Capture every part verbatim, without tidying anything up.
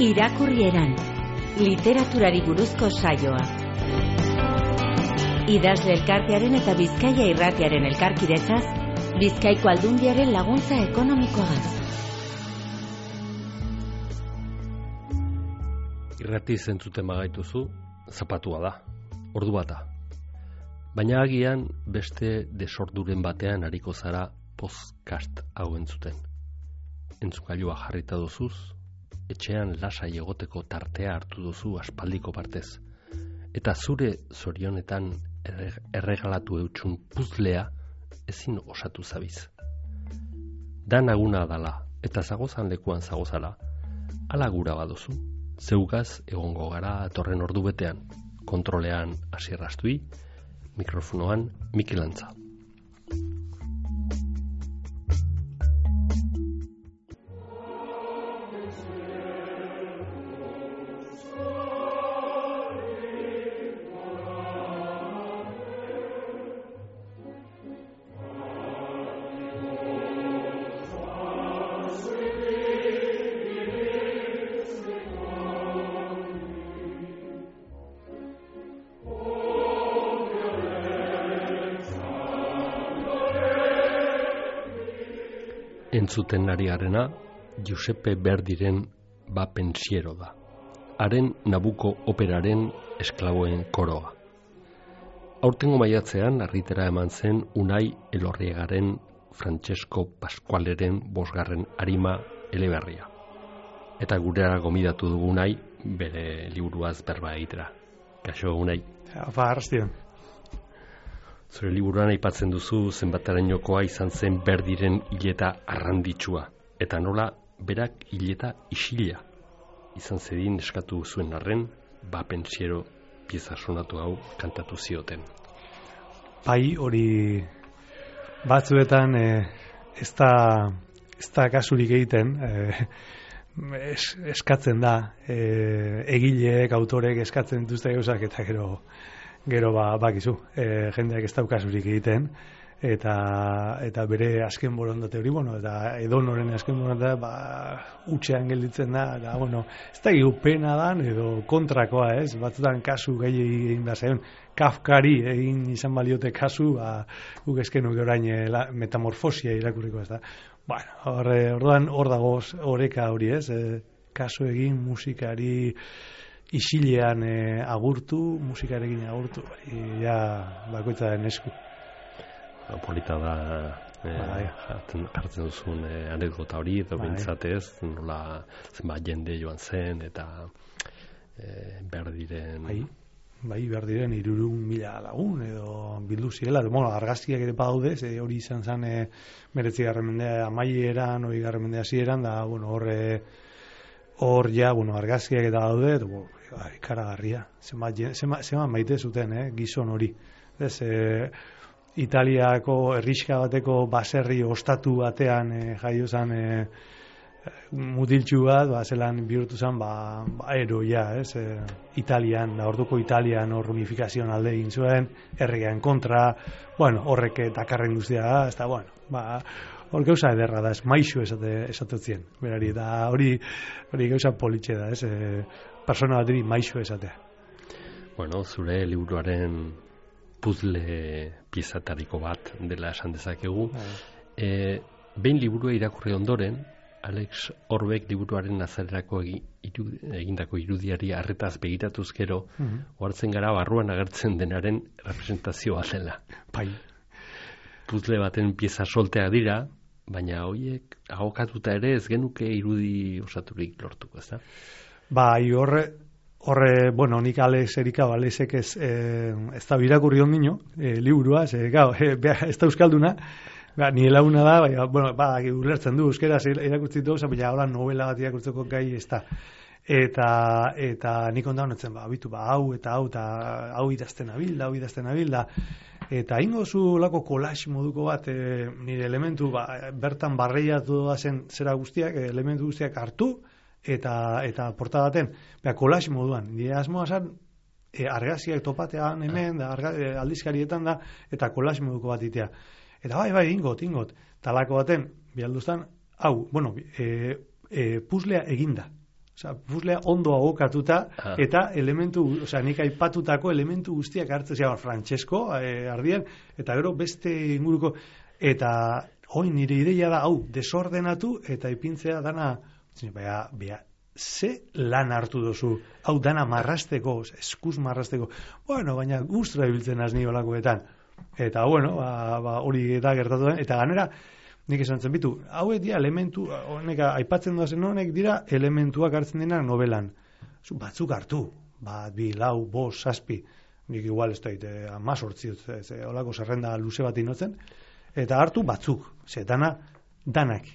Irakurrieran, literaturari buruzko saioa. Idazle elkartearen eta Bizkaia irratiaren elkarkidetzaz, Bizkaiko Aldundiaren laguntza ekonomikoagaz. Irrati zentzuten magaituzu, zapatua da, ordu bata. Baina agian beste desorduren batean ariko zara podcast hau entzuten. Entzukailua jarrita duzuz, etxean lasai egoteko tartea hartu duzu aspaldiko partez. Eta zure zorionetan erregalatu eutxun puzlea ezin osatu zabiz. Da naguna dala eta zagozan lekuan zagozala, ala gura baduzu, zeugaz egongo gara atorren ordu betean, kontrolean Asier Astui, mikrofonoan Mikel Antza. Entzuten ari garena, Giuseppe Verdiren Ba pensiero da. Haren Nabuko operaren esklaboen koroa. Aurtengo maiatzean argitera eman zen Unai Elorriagaren Francesco Pascualeren bosgarren arima eleberria. Eta gureara gomidatu dugu Unai bere liburuaz berba egitera. Kaixo Unai. Apa, arrastion. Zure liburuan aipatzen duzu zenbatarainokoa izan zen Verdiren hileta arranditsua, eta nola berak hileta isila izan zedin eskatu zuen arren, Ba pensiero pieza sonatu hau kantatu zioten. Bai, hori batzuetan eh, ez da ez da kasurik egiten, eh, es, eskatzen da, eh, egileek, autorek eskatzen dituzte gauzak eta gero Gero ba, bakizu, e, jendeak ez daukasurik egiten, eta eta bere azken borondate hori, bueno, eta edonoren azken borondate, ba, utxean gelditzen da, eta, bueno, ez da pena dan, edo kontrakoa, ez, batzutan kasu gehi egin da zaion, Kafkari egin izan baliote kasu, ba, guk eskenuke orain la, metamorfosia irakurriko ez da. Bueno, horre, orduan hor dago oreka hori, ez, e, kasu egin musikari, isilean e, agurtu, musikarekin agurtu, ja bakoitza den esku. Polita da e, jartzen, jartzen duzun e, anekdota hori, edo bintzatez, nola zenbat jende joan zen, eta e, Verdiren... Bai, bai Verdiren hirurehun mila lagun, edo bildu zirela, bueno, argazkiak ere badaude, ze hori izan zen e, meretzigarren mendea amaieran, hogeigarren mendea hasieran, da, bueno, horre... Hor ja, bueno, argazkiak eta daude, eta, bueno, ikaragarria. Zema maite zuten, eh, gizon hori. Ez, e, Italiako herriska bateko baserri ostatu batean e, jaio zen e, mutiltxu bat, ba, zelan bihurtu zen, ba, ba eroia, ez, e, Italian, da orduko Italian hor unifikazioan alde egin zuen, erregean kontra, bueno, horrek dakarren guztia, ez da, bueno, ba, hor gauza ederra da, ez maixo esate, esatetzen, berari, da hori hori gauza politxe da, ez, e, persona bateri maixo esatea. Bueno, zure liburuaren puzle piezatariko bat dela esan dezakegu. E, behin liburua irakurri ondoren, Alex Orbek liburuaren azarerako egindako irudiari arretaz begiratuz gero, uh-huh. Ohartzen gara barruan agertzen denaren representazioa dela. Bai. Puzle baten pieza soltea dira, baina horiek agokatuta ere ez genuke irudi osaturik lortuko, ez da? Bai, horre, horre, bueno, nik Alex Erika, Alexek ez, eh, ez da birakurri ondino, eh, liburua, ze, gau, eh, ez da euskalduna, ba, ni launa da, baina, bueno, ba, ulertzen du, euskera irakurtzi du, baina hola novela bat irakurtzeko gai ez da. Eta, eta nik ondan honetzen, ba, bitu, ba, hau eta hau, eta hau idazten abil, hau idazten abil, da, eta ingo zu lako collage moduko bat, e, nire elementu, ba, bertan barreiatu da zen zera guztiak, elementu guztiak hartu, eta eta porta baten, beha collage moduan, nire asmoa zen, e, argazkiak topatean hemen, da, arga, e, aldizkarietan da, eta collage moduko bat itea. Eta bai, bai, ingot, ingot, talako baten, bihalduztan, hau, bueno, e, e, puzzlea eginda. Osea, puzzlea ondo agokatuta ah. eta elementu, osea, nik aipatutako elementu guztiak hartzen zian Francesco eh, ardien, eta gero beste inguruko, eta oin nire ideia da, hau, desordenatu eta ipintzea dana, bea, bea, ze lan hartu dozu, hau dana marrasteko, eskuz marrasteko, bueno, baina gustura ibiltzen az ni holakoetan, eta bueno, ba, ba, hori eta gertatu den, eta ganera, nik esan zen bitu, hauek dira elementu, honek aipatzen duazen honek dira elementuak hartzen dena novelan. Batzuk hartu, bat, bi, lau, bost, zazpi, nik igual ez daite, amazortzi, holako zerrenda luze bat inotzen, eta hartu batzuk, ze dana, danak.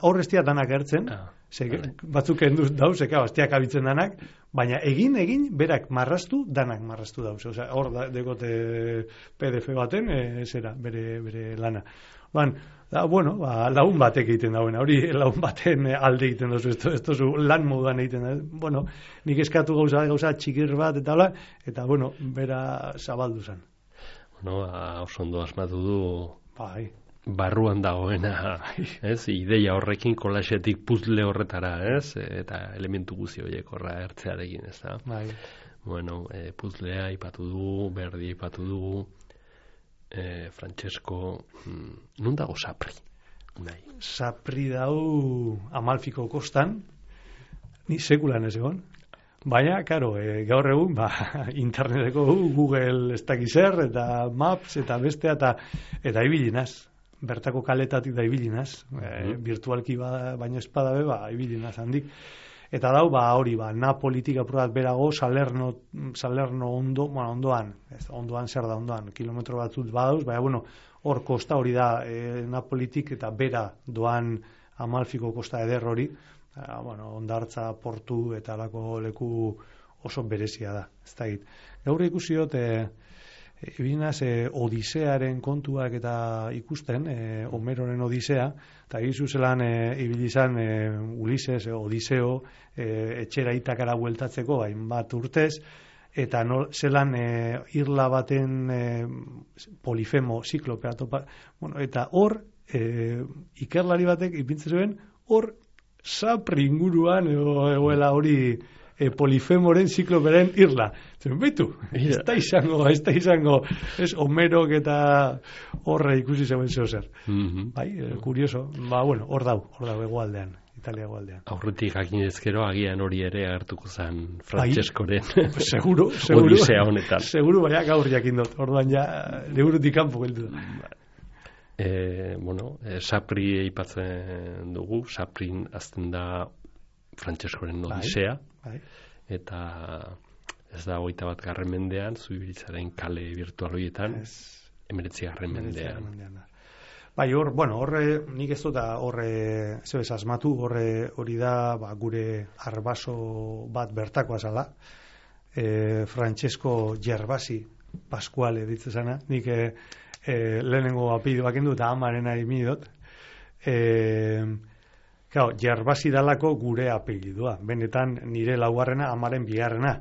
Horreztia danak hartzen, ah, ze, batzuk enduz dauz, eka, bastiak abitzen danak, baina egin, egin, berak marrastu, danak marrastu dauz. Osea, hor da, dekote P D F baten, e, zera, bere, bere lana. Ban, da, bueno, ba, lagun batek egiten dauen, hori lagun baten alde egiten dozu, ez dozu lan moduan egiten da. Bueno, nik eskatu gauza, gauza txikir bat, eta hola, eta, bueno, bera zabaldu zen. Bueno, oso ondo asmatu du, bai, barruan dagoena, ez, ideia horrekin kolaxetik puzzle horretara, ez, eta elementu guzti horiek horra ertzearekin, ez da. Bai. Bueno, e, puzzlea ipatu dugu, berdi ipatu dugu, Eh, Francesco, mm, nun dago Sapri? Nahi. Sapri dau Amalfiko kostan, ni sekulan ez egon. Baina, karo, e, gaur egun, ba, interneteko Google ez dakiz zer, eta Maps, eta bestea, eta, eta ibilinaz. Bertako kaletatik da ibilinaz. E, virtualki ba, baino espada be, ba, ibilinaz handik. Eta dau, ba, hori, ba, Napolitik apurat berago, Salerno, Salerno ondo, bueno, ondoan, ez, ondoan zer da, ondoan, kilometro batzut badauz, baina, bueno, hor kosta hori da, e, Napolitik eta bera doan Amalfiko kosta eder hori, e, bueno, ondartza, portu eta alako leku oso berezia da, ez da hit. Gaur ikusiot, e, Ibinaz, e, Odisearen kontuak eta ikusten, e, Homeroren Odisea, eta egizu zelan e, ibilizan e, Ulises, e, Odiseo, e, etxera itakara bueltatzeko, hainbat urtez, eta no, zelan e, irla baten e, Polifemo, Ziklopea, topa, bueno, eta hor, e, ikerlari batek ipintzen zuen, hor, Sapri inguruan, egoela hori, E, Polifemoren zikloperen irla. Zer, behitu, ez da izango, ez da izango, ez Homerok eta horre ikusi zeuen zeo zer. Mm-hmm. Bai, e, kurioso, ba, bueno, hor dau, hor dau, egoaldean, Italia egoaldean. Aurretik jakinezkero agian hori ere agertuko zen Francescoren. Bai, seguro, seguro. Odisea honetan. Seguro, baina gaur jakindot, orduan ja, legurutik kanpo geldu da. E, bueno, e, Sapri eipatzen dugu, Saprin azten da Francescoren Odisea, bai, bai. Eta ez da hogeita bat garren mendean, Zubibiltzaren kale virtual horietan, emeretzi garren mendean. Bai, hor, bueno, horre, nik ez dut horre, zebez asmatu, horre hori da, ba, gure arbaso bat bertakoa zala, e, Francesco Gervasi Pasquale ditzezana, nik e, e, lehenengo apellidoak endu eta amarena imidot, e, Claro, Gervasi dalako gure apellidua. Benetan nire laugarrena, amaren bigarrena.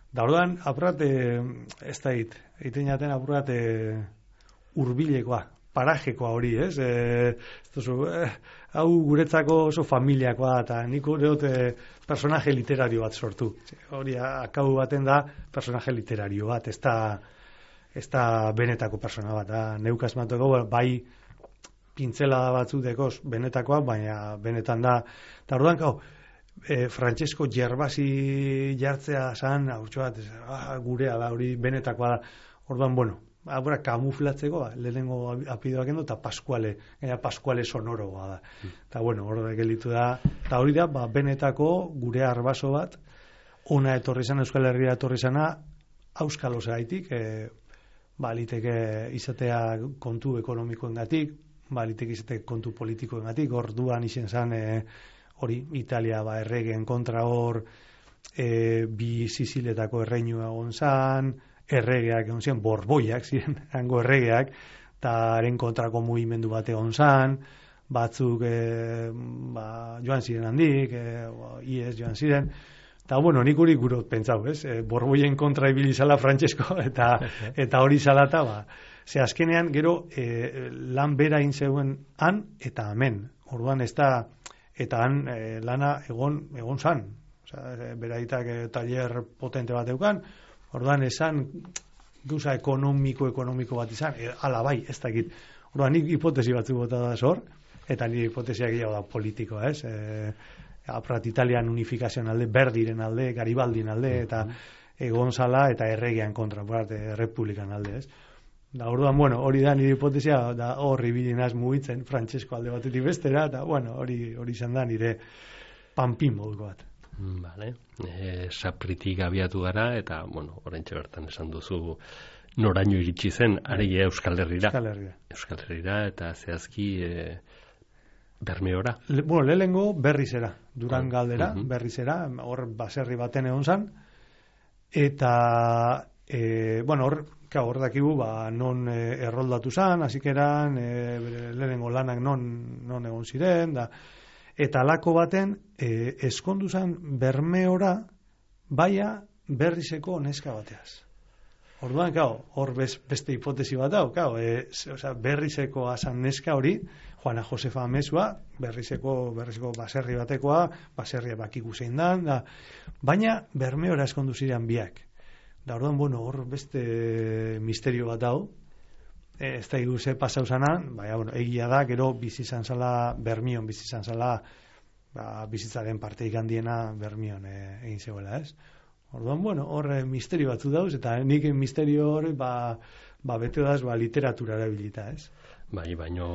Da orduan, apurat, e, ez da hit, egiten jaten apurat e, urbilekoa, parajekoa hori, ez? E, ez duzu, eh, hau guretzako oso familiakoa, eta nik ureot e, personaje literario bat sortu. Hori, akau baten da personaje literario bat, ez da, ez da benetako persona bat. Da, neukaz matuko, bai, pintzelada batzuk dekoz benetakoa, baina benetan da. Eta orduan, kau, e, Francesco Gervasi jartzea zan, haurtxo bat, ah, gurea da, hori benetakoa da. Orduan, bueno, abura kamuflatzeko, ba, lehenengo apidoak endo, eta Pasquale, gaina Pasquale sonoroa da. Eta, bueno, hori gelitu da, eta hori da, ba, benetako gure arbaso bat, ona etorri zan, Euskal Herria etorri zana, auskalo zaitik, e, ba, liteke izatea kontu ekonomikoengatik, ba, liteke izatea kontu politikoengatik, orduan izen zan, e, hori, Italia, ba, erregeen kontra hor, e, bi Siziletako erreinua egon zan, erregeak egon ziren, borboiak ziren, hango erregeak, eta haren kontrako mugimendu bat egon zan, batzuk e, ba, joan ziren handik, e, ies joan ziren, eta bueno, nik hori gurot pentsau, ez? E, borboien kontra ibili zala Francesco, eta, eta hori zalata, ba, ze azkenean gero e, lan bera intzeuen han eta hemen, orduan ez da, eta han e, lana egon, egon zan, Osea, beraitak e, taller potente bat eukan, orduan esan gauza ekonomiko ekonomiko bat izan, e, ala bai, ez dakit. Orduan nik hipotesi batzuk bota da zor, eta nire hipotesiak gehiago da politikoa, ez? E, aprat Italian unifikazioan alde, Berdiren alde, Garibaldin alde, eta e, Gonzala eta erregean kontra, aprat, e, republikan alde, ez? Da, orduan, bueno, hori da nire hipotesia, da horri bilinaz mugitzen, Frantsesko alde batetik bestera, eta, bueno, hori hori izan da nire panpin moduko bat. Vale. E, Sapritik abiatu gara, eta, bueno, oraintxe bertan esan duzu noraino iritsi zen, ari Euskal Herrira. Euskal Herrira. Euskal Herrira, eta zehazki e, Bermeora. Le, bueno, lehengo berrizera, Duran galdera, uh-huh. berrizera, hor baserri baten egon zan, eta, e, bueno, hor, hor dakigu, ba, non e, erroldatu zan, hasikeran, e, lehengo lanak non, non egon ziren, da, eta alako baten, e, eskondu zan Bermeora, baia berrizeko neska bateaz. Orduan, kao, hor beste hipotesi bat hau, kao, e, osea, berrizeko asan neska hori, Juana Josefa Amezua, berrizeko, berrizeko baserri batekoa, baserria bakiku zein dan, da, baina Bermeora eskondu ziren biak. Da, orduan, bueno, hor beste misterio bat hau, e, ez da igu ze pasau zanan, baina, bueno, egia da, gero bizizan zala, Bermion bizizan zala, ba, bizitzaren parte ikandiena Bermion e, egin zegoela, ez? Orduan, bueno, hor misterio batzu dauz, eta nik misterio hori, ba, ba bete daz, ba, literatura erabilita, ez? Bai, baino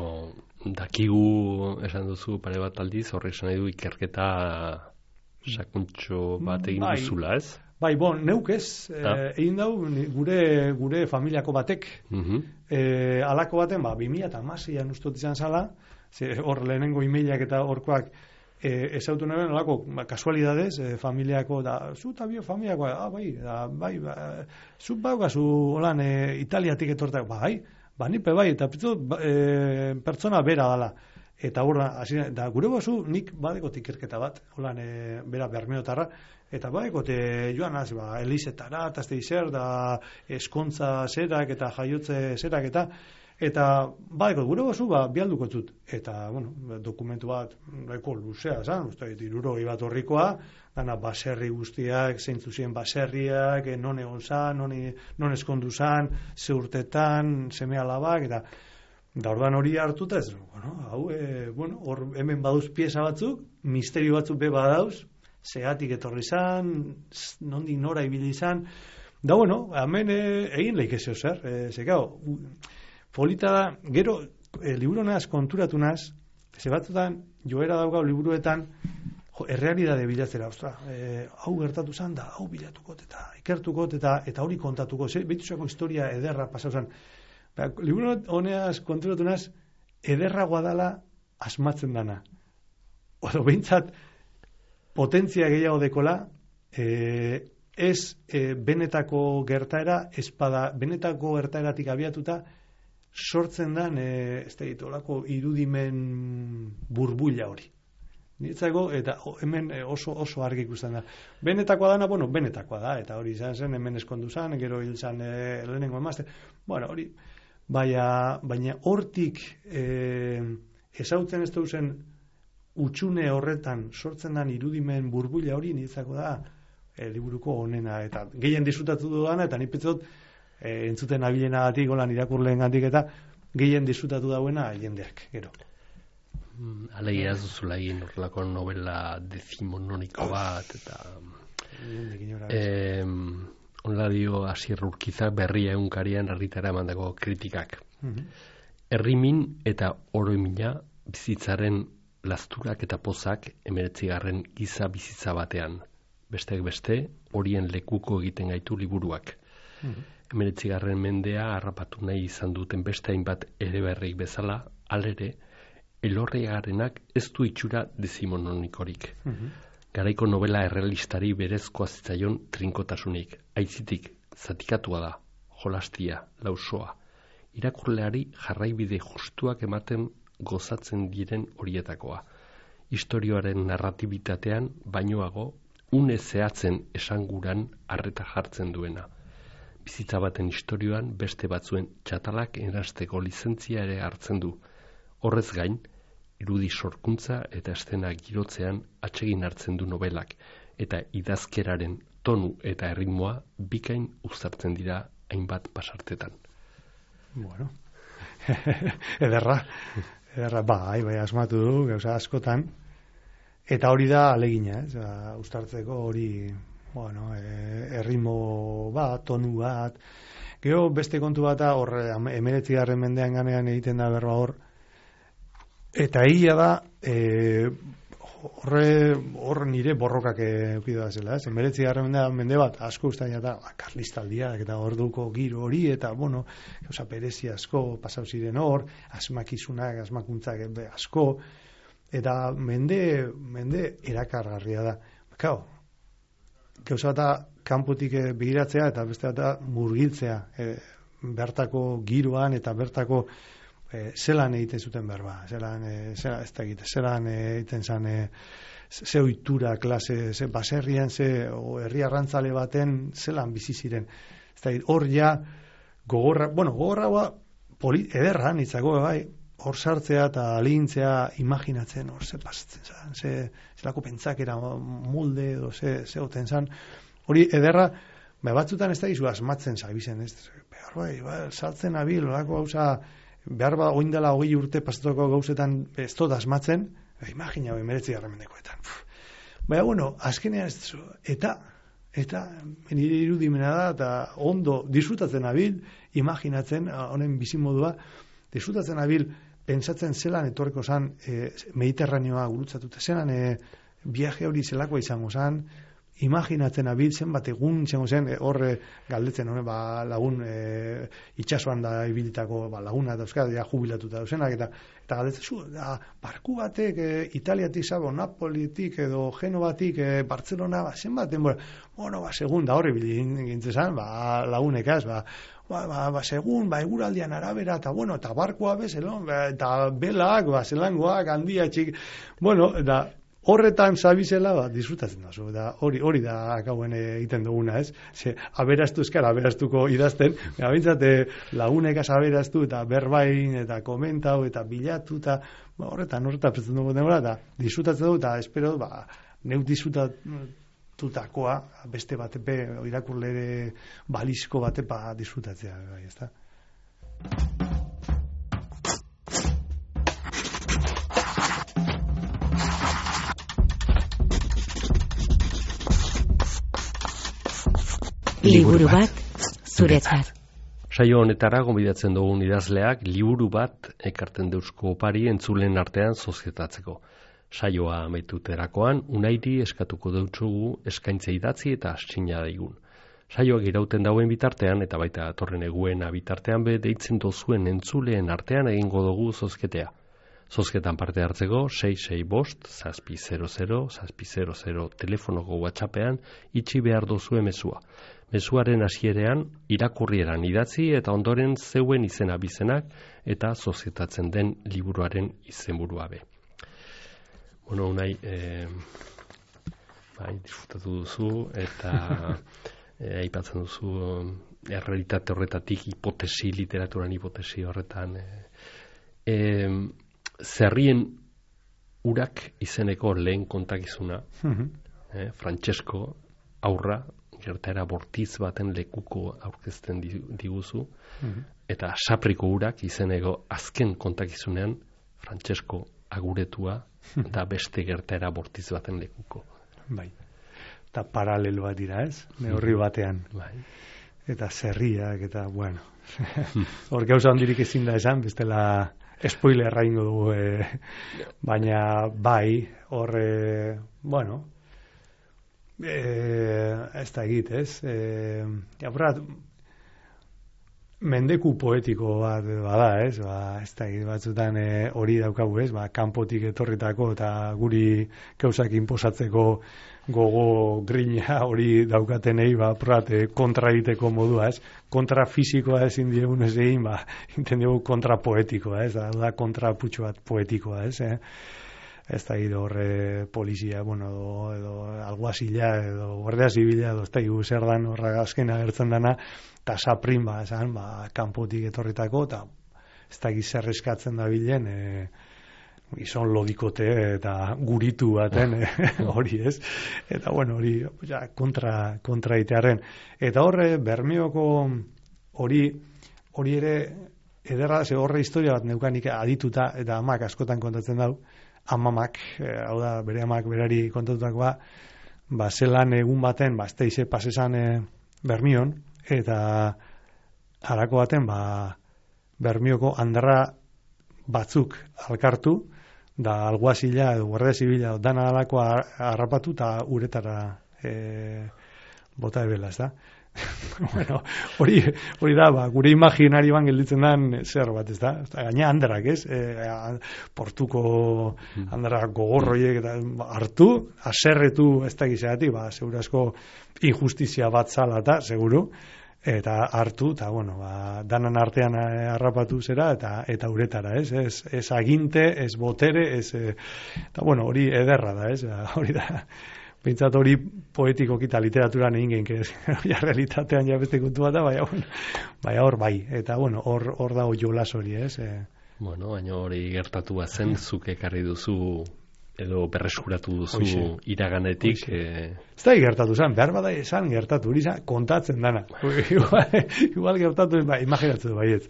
dakigu esan duzu pare bat aldiz, horrek esan nahi du ikerketa sakuntxo bat egin bai, duzula, ez? Bai, bon, neuk ez, ah. e, egin dau gure, gure familiako batek, uh-huh. e, alako baten, ba, bi mila hamaseian ustot izan zala, ze, hor lehenengo emailak eta horkoak e, ezautu neben, alako, ba, kasualidades, e, familiako, da, zu eta bio familiako, ah, bai, da, bai, ba, zu baukazu, holan, e, Italiatik etortak, bai, ba, nipe bai, eta pitzut, e, pertsona bera dala. Eta horra, da, gure bazu, nik badekot ikerketa bat, holan, e, bera Bermeotarra, eta badekot e, joanaz, ba, Elizetara, eta azte izer, da, eskontza zerak, eta jaiotze zerak, eta, eta badekot, gure bazu, ba, bialduko zut. Eta, bueno, dokumentu bat, eko luzea, zan, uste, irurogei bat horrikoa, dana baserri guztiak, zeintzu ziren baserriak, non egon zan, non, non eskondu zan, ze urtetan, seme alabak, eta da orduan hori hartuta ez, bueno, hau, e, bueno, hor hemen baduz pieza batzuk, misterio batzuk be badauz, zeatik etorri zan, nondik nora ibili zan, da bueno, hemen e, egin leik ezio zer, e, zekao, polita da, gero, e, libronaz konturatu naz, ze batzutan, joera daugau liburuetan, jo, errealidade bilatzera, ostra, e, hau gertatu zan da, hau bilatukot eta ikertukot eta eta hori kontatuko, ze, behitusako historia ederra pasau zan. Ba, liburu honeaz konturatu naz, ederragoa dala asmatzen dana. Odo, behintzat, potentzia gehiago dekola, e, ez e, benetako gertaera, espada, benetako gertaeratik abiatuta, sortzen dan, e, ez da ditolako, irudimen burbuila hori. Niretzako, eta hemen oso oso argi ikusten da. Benetakoa dana, bueno, benetakoa da, eta hori izan zen, hemen eskondu zan, gero hil zan e, lehenengo emazte. Bueno, hori, baina, baina hortik e, ezautzen ez duzen utxune horretan sortzen dan irudimen burbuila hori niretzako da e, liburuko honena, eta gehien disfrutatu dudana, eta nipetzot e, entzuten abilenagatik, golan irakurleen gandik, eta gehien disfrutatu dauena jendeak, gero. Alegia ez duzula egin horrelako novela dezimononiko bat, eta eh, onla dio Asier Urkizak berria egunkarian herritara emandako kritikak. Uh-huh. Herrimin eta oroimina bizitzaren lasturak eta pozak hemeretzigarren giza bizitza batean. Besteak beste, horien lekuko egiten gaitu liburuak. Uh-huh. Hemeretzigarren mendea harrapatu nahi izan duten beste hainbat ere berrik bezala, alere, Elorriagarenak ez du itxura dezimononikorik. Uh-huh. Garaiko novela errealistari berezkoa zitzaion trinkotasunik. Aitzitik, zatikatua da, jolastia, lausoa. Irakurleari jarraibide justuak ematen gozatzen diren horietakoa. Historioaren narratibitatean bainoago, une zehatzen esanguran arreta jartzen duena. Bizitza baten historioan beste batzuen txatalak erasteko lizentzia ere hartzen du. Horrez gain, irudi sorkuntza eta estena girotzean atsegin hartzen du novelak, eta idazkeraren tonu eta erritmoa bikain uztartzen dira hainbat pasartetan. Bueno, ederra, ederra, bai, bai, asmatu du, gauza askotan, eta hori da alegina, ez, ba, uztartzeko hori, bueno, erritmo bat, tonu bat, gero beste kontu bat da, hor, emeretzigarren mendean ganean egiten da berba hor, eta egia da, e, horre, hor nire borrokak eukidu da zela, ez? Emeretzigarren mende bat, asko ustaina da, ba, karlistaldiak eta orduko giro hori, eta, bueno, gauza perezi asko pasau ziren hor, asmakizunak, asmakuntzak asko, eta mende, mende erakargarria da. Kao, gauza eta kanpotik begiratzea, eta beste eta murgiltzea, e, bertako giroan eta bertako E, zelan egiten zuten berba, zelan, e, zela, ez da egite, zelan egiten zan, e, ze oitura klase, ze baserrian, ze o, herri arrantzale baten, zelan bizi ziren. Ez da egite, hor ja, gogorra, bueno, gogorra ba, poli, ederra, nitzako, bai, hor sartzea eta alintzea imaginatzen, hor ze pasatzen zan, ze, zelako pentsakera molde, edo ze, ze oten zan, hori ederra, ba, batzutan ez da izu asmatzen zabizen, ez, behar bai, bai, saltzen abil, olako gauza, behar ba, oindela hogei urte pasatuko gauzetan ez dut asmatzen, e, imagina hori meretzi garremendekoetan. Baina, bueno, azkenean ez zu, eta, eta, nire irudimena da, eta ondo disfrutatzen abil, imaginatzen, honen bizimodua, disfrutatzen abil, pentsatzen zelan etorreko zan, e, Mediterraneoa gurutzatute, zelan e, viaje hori zelakoa izango zan, imaginatzen abil zenbat egun izango zen, horre galdetzen, hone, ba, lagun e, itxasuan da ibilitako ba, laguna da euskara, ja jubilatuta dauzenak, eta, eta galdetzen, zu, da, barku batek e, Italiatik zabo, Napolitik edo Genovatik, e, Barcelona, ba, zenbat, denbora, bueno, ba, segun da horre bilin gintzezan, ba, lagunekaz, ba, ba, ba, ba, segun, ba, eguraldian arabera, eta, bueno, eta barkoa bezelon, ba, eta belak, ba, zelangoak, handia, txik, bueno, da, horretan zabizela, ba, disfrutatzen da, da hori, hori da akauen egiten duguna, ez? Ze, aberaztu eskara, aberastuko idazten, bintzat, lagunekaz aberaztu, eta berbain, eta komentau, eta bilatu, eta ba, horretan, horretan pretzen dugu denbora, eta disfrutatzen dugu, eta espero, ba, neuk disfrutatutakoa, beste batepe, irakurlere balizko batepa disfrutatzea, bai, ez da? Liburu bat zuretzat. Saio honetara gonbidatzen dugun idazleak liburu bat ekarten deuzko opari entzulen artean sozietatzeko. Saioa amaituterakoan Unairi eskatuko deutsugu eskaintza idatzi eta astzina daigun. Saioak irauten dauen bitartean eta baita torren eguena bitartean be deitzen dozuen entzuleen artean egingo dugu zozketea. Zozketan parte hartzeko sei sei bost, zazpi zero zero, zazpi zero zero telefonoko WhatsAppean itxi behar dozue mezua. Mezuaren hasierean irakurrieran idatzi eta ondoren zeuen izena bizenak eta sozietatzen den liburuaren izenburua be. Bueno, Unai, eh, bai, disfrutatu duzu eta eh, aipatzen duzu errealitate horretatik hipotesi, literaturan hipotesi horretan. Eh, eh, Zerrien urak izeneko lehen kontakizuna, mm-hmm. eh, Francesco aurra, gertaera bortiz baten lekuko aurkezten diguzu, mm-hmm. eta Sapriko urak izeneko azken kontakizunean Francesco aguretua da beste gertaera bortiz baten lekuko. Bai. Eta paralelo bat dira, ez? Neurri batean. Bai. Eta zerriak, eta, bueno. Hor gauza handirik ezin da esan, bestela spoilerra ingo dugu, eh, baina bai, hor, eh, bueno, eh, ez da egit, ez? Eh, Jabrat, mendeku poetiko bat bada, ez? Ba, ez da egit batzutan eh, hori daukagu, ez? Ba, kanpotik etorritako eta guri gauzak inposatzeko gogo grina hori daukatenei, ba, prat, eh, kontra egiteko modua, ez? Kontra fisikoa ezin diegun ez egin, ba, inten dugu kontra poetikoa, ez? Da, da kontra putxo bat poetikoa, ez? Eh? Ez da egit horre polizia, bueno, edo, edo alguazila, edo guardia zibila, edo ez da egit zer dan horra azken agertzen dana, eta saprin, ba, esan, ba, kanpotik etorritako, eta ez da egit zer eskatzen da bilen, e, gizon lodikote eta guritu baten hori ez. Eta bueno, hori ja, kontra, kontra itearen. Eta horre, Bermeoko hori, hori ere, ederra, ze horre historia bat neukanik adituta, eta amak askotan kontatzen dau, amamak, hau da, bere amak berari kontatutakoa, ba, zelan egun baten, ba, esteize pasesan e, Bermion, eta harako baten, ba, Bermioko handarra batzuk alkartu, da alguazila edo guardia zibila dana alakoa harrapatu eta uretara e, bota ebela, ez da? Bueno, hori, hori da, ba, gure imaginarioan gelditzen den zer bat, ez da? Gaina handarak, ez? E, portuko handarak gogorroiek eta hartu, aserretu ez da gizatik, ba, segurazko injustizia bat zala eta, seguru, eta hartu, eta, bueno, ba, danan artean harrapatu zera, eta eta uretara, ez? Ez, ez aginte, ez botere, ez, eta, bueno, hori ederra da, ez? Hori da, bintzat hori poetikoki eta literaturan egin genke, ja, realitatean ja beste kontu bat da, baina, bueno, baina hor bai, eta, bueno, hor, hor dago jolas hori, ez? E... Bueno, baina hori gertatu bat zen, zuk ekarri duzu edo berreskuratu duzu Oixe. iraganetik. Eh... Ez da gertatu zen, behar bada esan gertatu, hori zen, kontatzen dana. igual, igual gertatu, ba, imaginatu bai ez.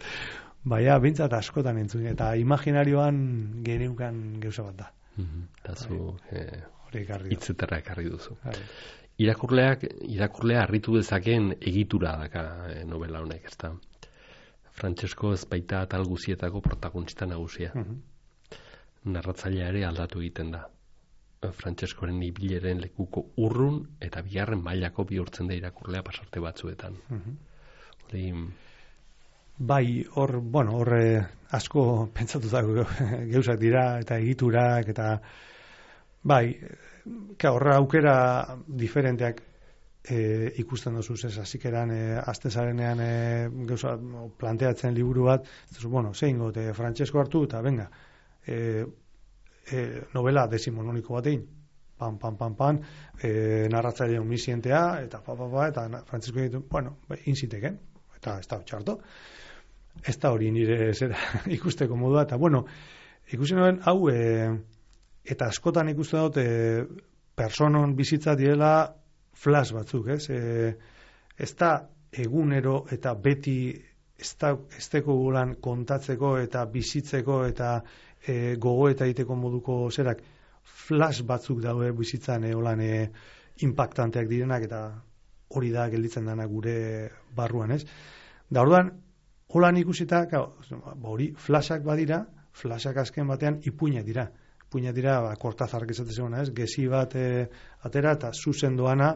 Baina, bintzat askotan entzun, eta imaginarioan geneukan gauza bat da. Eta zu eh, ekarri hitzetara ekarri duzu. Hai. Irakurleak, irakurlea harritu dezakeen egitura daka eh, novela honek, ez da. Frantsesko ez baita atal guzietako protagonista nagusia. Uh-huh. Narratzailea ere aldatu egiten da. Frantseskoren ibileren lekuko urrun eta bigarren mailako bihurtzen da irakurlea pasarte batzuetan. Uh-huh. Hori... Bai, hor, bueno, hor asko pentsatutako gauzak dira eta egiturak eta bai, horra aukera diferenteak e, ikusten dozuz ez, azikeran e, azte zarenean e, gauza planteatzen liburu bat, ez duzu, bueno, zein gote Frantsesko hartu eta venga, e, e, novela desimononiko batein, pan, pan, pan, pan, e, narratzaile omisientea, eta pa, pa, pa, eta Frantsesko ditu, bueno, inziteken, eta ez da txarto, ez da hori nire zera ikusteko modua, eta bueno, ikusten noen, hau, e, eta askotan ikusten dut, e, personon bizitza direla flash batzuk, ez? E, ez da egunero eta beti ez da ez teko gulan kontatzeko eta bizitzeko eta e, gogo eta egiteko moduko zerak flash batzuk daude bizitzan e, holan e, impactanteak direnak eta hori da gelditzen dana gure barruan, ez? Da orduan, holan ikusita, hori flashak badira, flashak azken batean ipuinak dira. Ipuinak dira, ba, Kortazarrak esaten zegoena, ez? Gezi bat e, atera eta zuzen doana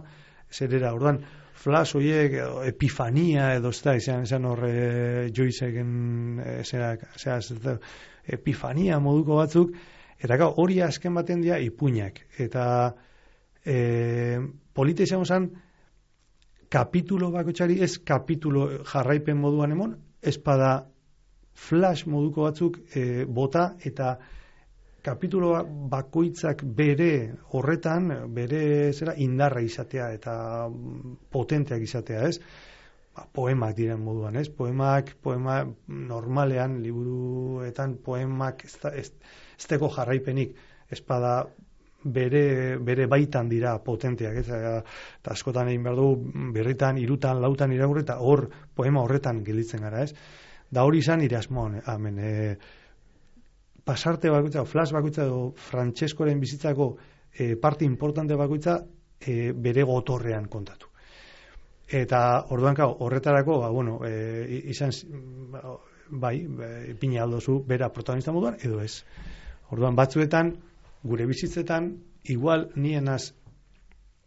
zerera. Orduan, flash horiek, edo, epifania edo ez da, izan, izan horre Joyceken e, zera, zera, zera, epifania moduko batzuk, eta gau, hori azken baten dira ipuinak. Eta e, polita izan zen, kapitulo bakotxari ez kapitulo jarraipen moduan emon, ez pada flash moduko batzuk e, bota eta kapitulo bakoitzak bere horretan, bere zera indarra izatea eta potenteak izatea, ez? Ba, poemak diren moduan, ez? Poemak, poema normalean, liburuetan poemak ez, da, ez, ez teko jarraipenik, ez pada bere, bere baitan dira potenteak, ez? Eta askotan egin behar du, berritan, irutan, lautan irakurri, eta hor, poema horretan gelditzen gara, ez? Da hori izan nire asmoan, amen, e, pasarte bakoitza, flash bakoitza, edo Frantseskoren bizitzako e, parte importante bakoitza e, bere gotorrean kontatu. Eta orduan, kau, horretarako, ba, bueno, e, izan, bai, ipina aldozu, bera protagonista moduan, edo ez. Orduan, batzuetan, gure bizitzetan, igual nienaz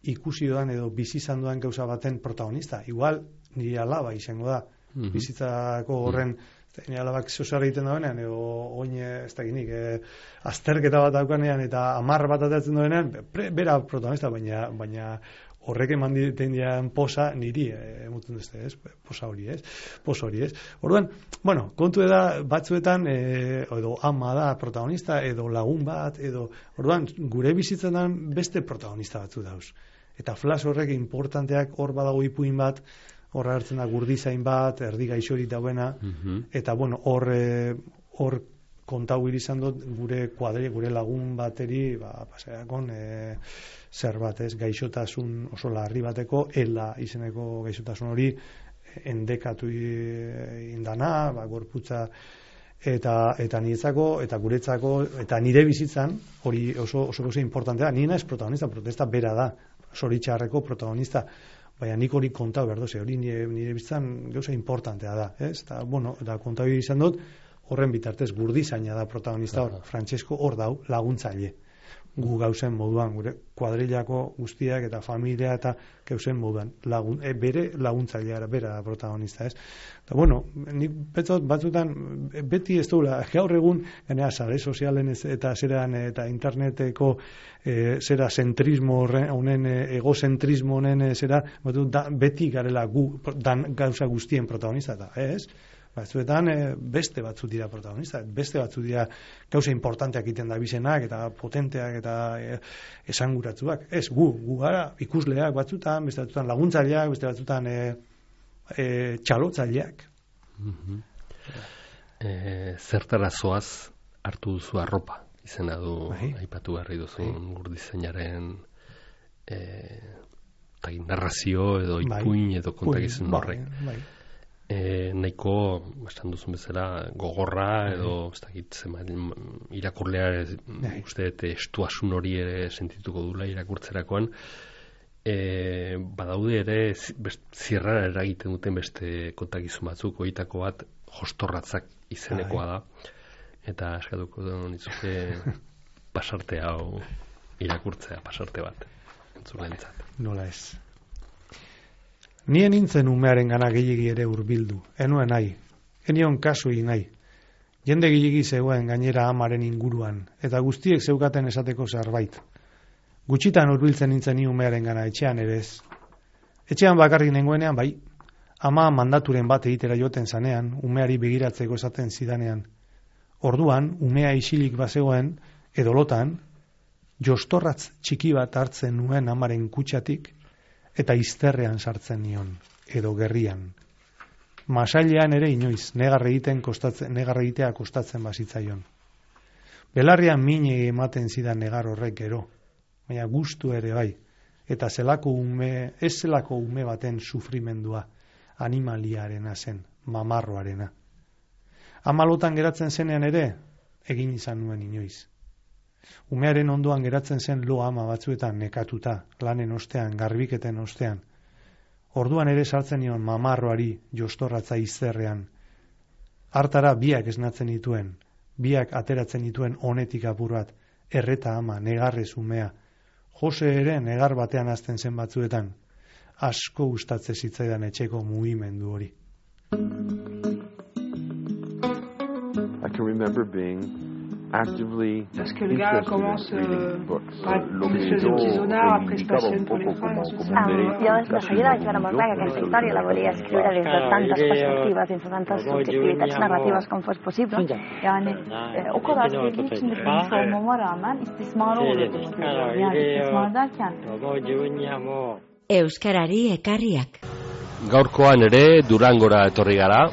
ikusi doan edo bizizan doan gauza baten protagonista. Igual nire alaba izango da. Mm-hmm. Bizitzako horren, mm-hmm. nire alabak zozara egiten dauenean, edo oin ez dakinik, e, azterketa bat daukanean eta amar bat atatzen dauenean, bera protagonista, baina, baina horrek eman diten dian posa niri, emuten duzte, ez? Posa hori, ez? Posa hori, ez? Orduan, bueno, kontu da batzuetan, e, edo ama da protagonista, edo lagun bat, edo, orduan, gure bizitzetan beste protagonista batzu dauz. Eta flash horrek importanteak hor badago ipuin bat, horra hartzen da gurdizain bat, erdi gaixorik dauena, mm-hmm. eta, bueno, hor, hor kontau izan dut gure kuadri, gure lagun bateri, ba, paseakon, e, zer bat, ez, gaixotasun oso larri bateko, ela izeneko gaixotasun hori endekatu indana, ba, gorputza, eta eta niretzako, eta guretzako, eta nire bizitzan, hori oso oso oso importantea, ni naiz protagonista, protesta bera da, zoritxarreko protagonista, baina nik hori kontau behar doze, hori nire, nire bizitzan gauza importantea da, ez? Eta, bueno, eta kontau izan dut, horren bitartez Gurdizaina da protagonista hor, Francesco hor dau laguntzaile. Gu gauzen moduan, gure kuadrillako guztiak eta familia eta gauzen moduan, lagun, e, bere laguntzailea bera da protagonista, ez? Eta, bueno, nik betzot batzutan beti ez duela, gaur egun, ganea, sare sozialen ez, eta zeran eta interneteko e, zera zentrismo honen, egozentrismo honen zera, batut, da, beti garela gu, dan gauza guztien protagonista, eta ez? Batzuetan beste batzu dira protagonista, beste batzu dira gauza importanteak egiten da bizenak eta potenteak eta esanguratsuak. Ez, gu, gu gara ikusleak batzutan, beste batzutan laguntzaileak, beste batzutan e, e, txalotzaileak. Mm-hmm. e, zertara zoaz hartu duzu arropa, izena du, bai. Aipatu garri duzun bai. Gurdizainaren e, narrazio edo ipuin bai. Edo kontakizun bai. Horrek. Bai. E, nahiko, esan duzun bezala, gogorra edo ez dakit irakurlea uste estuasun hori ere sentituko dula irakurtzerakoan, e, badaude ere zierrara eragiten duten beste kontakizun batzuk, horietako bat jostorratzak izenekoa da, eta eskatuko nitzuke pasarte hau irakurtzea, pasarte bat entzulentzat. Nola ez. Nien nintzen umearen gana gehiagi ere hurbildu, enuen nahi, enion kasu egin nahi. Jende gehiagi zegoen gainera amaren inguruan, eta guztiek zeukaten esateko zerbait. Gutxitan hurbiltzen nintzen ni umearen gana etxean ere ez. Etxean bakarrik nengoenean bai, ama mandaturen bat egitera joten zanean, umeari begiratzeko esaten zidanean. Orduan, umea isilik bazegoen, edolotan, jostorratz txiki bat hartzen nuen amaren kutxatik, eta izterrean sartzen nion, edo gerrian. Masailean ere inoiz, negar egiten kostatzen, negar egitea kostatzen bazitzaion. Belarrian mine ematen zidan negar horrek gero, baina gustu ere bai, eta zelako ume, ez zelako ume baten sufrimendua, animaliarena zen, mamarroarena. Amalotan geratzen zenean ere, egin izan nuen inoiz. Umearen ondoan geratzen zen lo ama batzuetan nekatuta, lanen ostean, garbiketen ostean. Orduan ere sartzen nion mamarroari jostorratza izterrean. Hartara biak esnatzen dituen, biak ateratzen dituen honetik apur bat, erreta ama, negarrez umea. Jose ere negar batean hasten zen batzuetan, asko gustatze zitzaidan etxeko mugimendu hori. I can remember being actively parce que le gars commence euh, par une espèce de petit sonar, après se passionne pour les femmes. Jo de seguida vaig veure molt clar que aquesta història la volia escriure des de tantes perspectives, des de tantes subjektivitats narratives com fos possible. Yani e, o kadar sevdiği için de bilmiş olmama rağmen istismar oluyordu. Yani istismar derken Euskarari ekarriak. Gaurkoan ere Durangora etorri gara.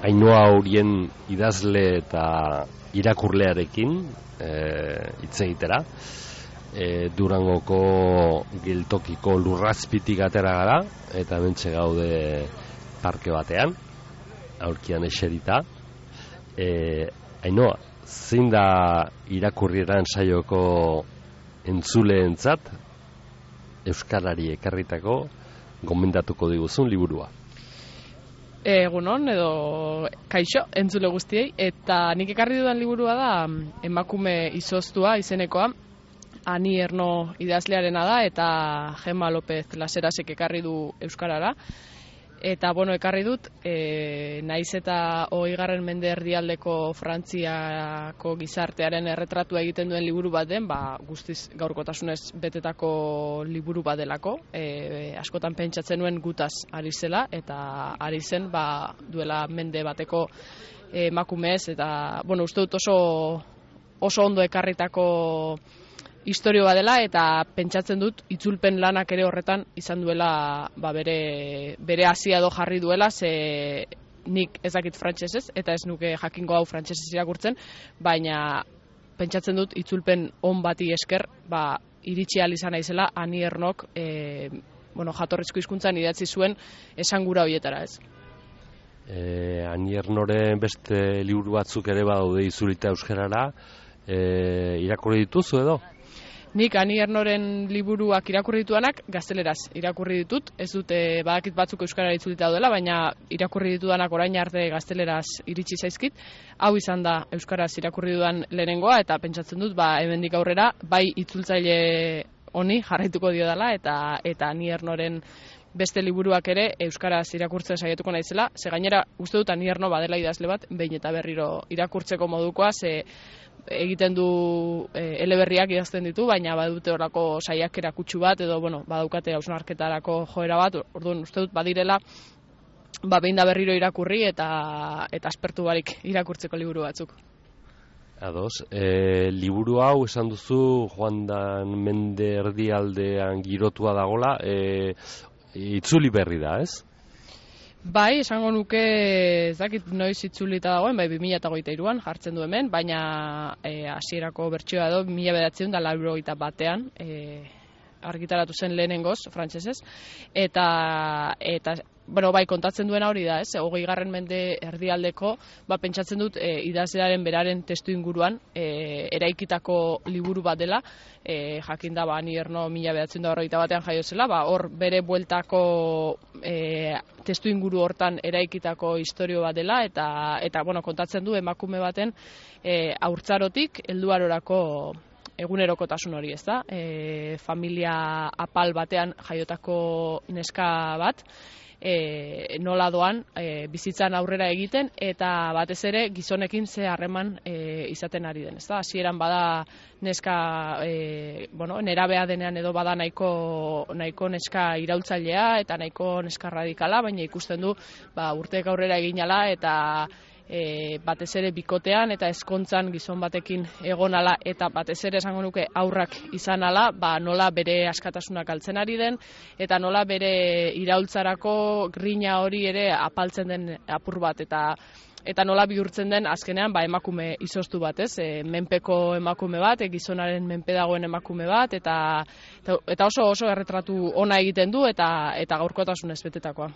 Ainhoa horien idazle eta irakurlearekin hitz e, egitera. E, Durangoko geltokiko lurrazpitik atera gara, eta hementxe gaude parke batean, aurkian eserita. E, Ainhoa, zein da irakurrieran saioko entzuleentzat euskarari ekarritako gomendatuko diguzun liburua? Egunon edo kaixo entzule guztiei, eta nik ekarri dudan liburua da Emakume izoztua izenekoa, Ani Erno idazlearena da, eta Gemma López Laserasek ekarri du euskarara. Eta bueno, ekarri dut, e, naiz eta hogeigarren mende erdialdeko Frantziako gizartearen erretratua egiten duen liburu bat den, ba, guztiz gaurkotasunez betetako liburu bat delako. E, askotan pentsatzen nuen gutaz ari zela, eta ari zen ba, duela mende bateko emakumez, eta bueno, uste dut oso, oso ondo ekarritako historio bat dela, eta pentsatzen dut itzulpen lanak ere horretan izan duela ba, bere, bere hasia edo jarri duela, ze nik ezakit frantsesez, eta ez nuke jakingo hau frantsesez irakurtzen, baina pentsatzen dut itzulpen on bati esker, ba, iritsi ahal izan naizela Ani Ernok e, bueno, jatorrizko hizkuntzan idatzi zuen esangura horietara, ez? E, Ani Ernoren beste liburu batzuk ere badaude itzulita euskarara, e, irakurri dituzu edo? Nik Ani Ernoren liburuak irakurri dituanak gazteleraz irakurri ditut, ez dute badakit batzuk euskarara itzulita daudela, baina irakurri ditudanak orain arte gazteleraz iritsi zaizkit. Hau izan da euskaraz irakurri dudan lehenengoa, eta pentsatzen dut ba hemendik aurrera bai itzultzaile honi jarraituko dio dela, eta eta Ani Ernoren beste liburuak ere euskaraz irakurtzen saiatuko naizela. Ze gainera uste dut Ani Erno badela idazle bat behin eta berriro irakurtzeko modukoa, ze egiten du e, eleberriak idazten ditu, baina badute horako saiakera kutsu bat, edo bueno, badaukate hausnarketarako joera bat, orduan uste dut badirela ba behin da berriro irakurri eta eta aspertu barik irakurtzeko liburu batzuk. Ados, e, liburu hau esan duzu Joan Dan Mende erdialdean girotua dagola, e, itzuli berri da, ez? Bai, esango nuke ez dakit noiz itzulita dagoen, bai bi mila hogeita hiruan jartzen du hemen, baina hasierako e, bertsioa edo bi mila bederatziehun eta laurogeita batean e, argitaratu zen lehenengoz, frantsesez, eta eta bueno, bai, kontatzen duena hori da, ez? hogeigarren mende erdialdeko, ba pentsatzen dut e, idazlearen beraren testu inguruan e, eraikitako liburu bat dela, e, jakin da ba Ani Erno mila bederatziehun eta berrogeita batean jaio zela, ba hor bere bueltako e, testu inguru hortan eraikitako istorio bat dela, eta eta bueno, kontatzen du emakume baten e, haurtzarotik helduarorako egunerokotasun hori, ez da? E, familia apal batean jaiotako neska bat, e, nola doan e, bizitzan aurrera egiten, eta batez ere gizonekin ze harreman e, izaten ari den, ez da? Hasieran bada neska, e, bueno, nerabea denean edo bada nahiko, nahiko neska iraultzailea eta nahiko neska radikala, baina ikusten du ba, urteek aurrera egin ala, eta E, batez ere bikotean eta ezkontzan gizon batekin egon ala, eta batez ere esango nuke aurrak izan ala, ba, nola bere askatasunak galtzen ari den, eta nola bere iraultzarako grina hori ere apaltzen den apur bat, eta eta nola bihurtzen den azkenean ba, emakume izoztu bat, ez? E, menpeko emakume bat, e, gizonaren menpe dagoen emakume bat, eta, eta, eta oso oso erretratu ona egiten du, eta eta gaurkotasunez betetakoa.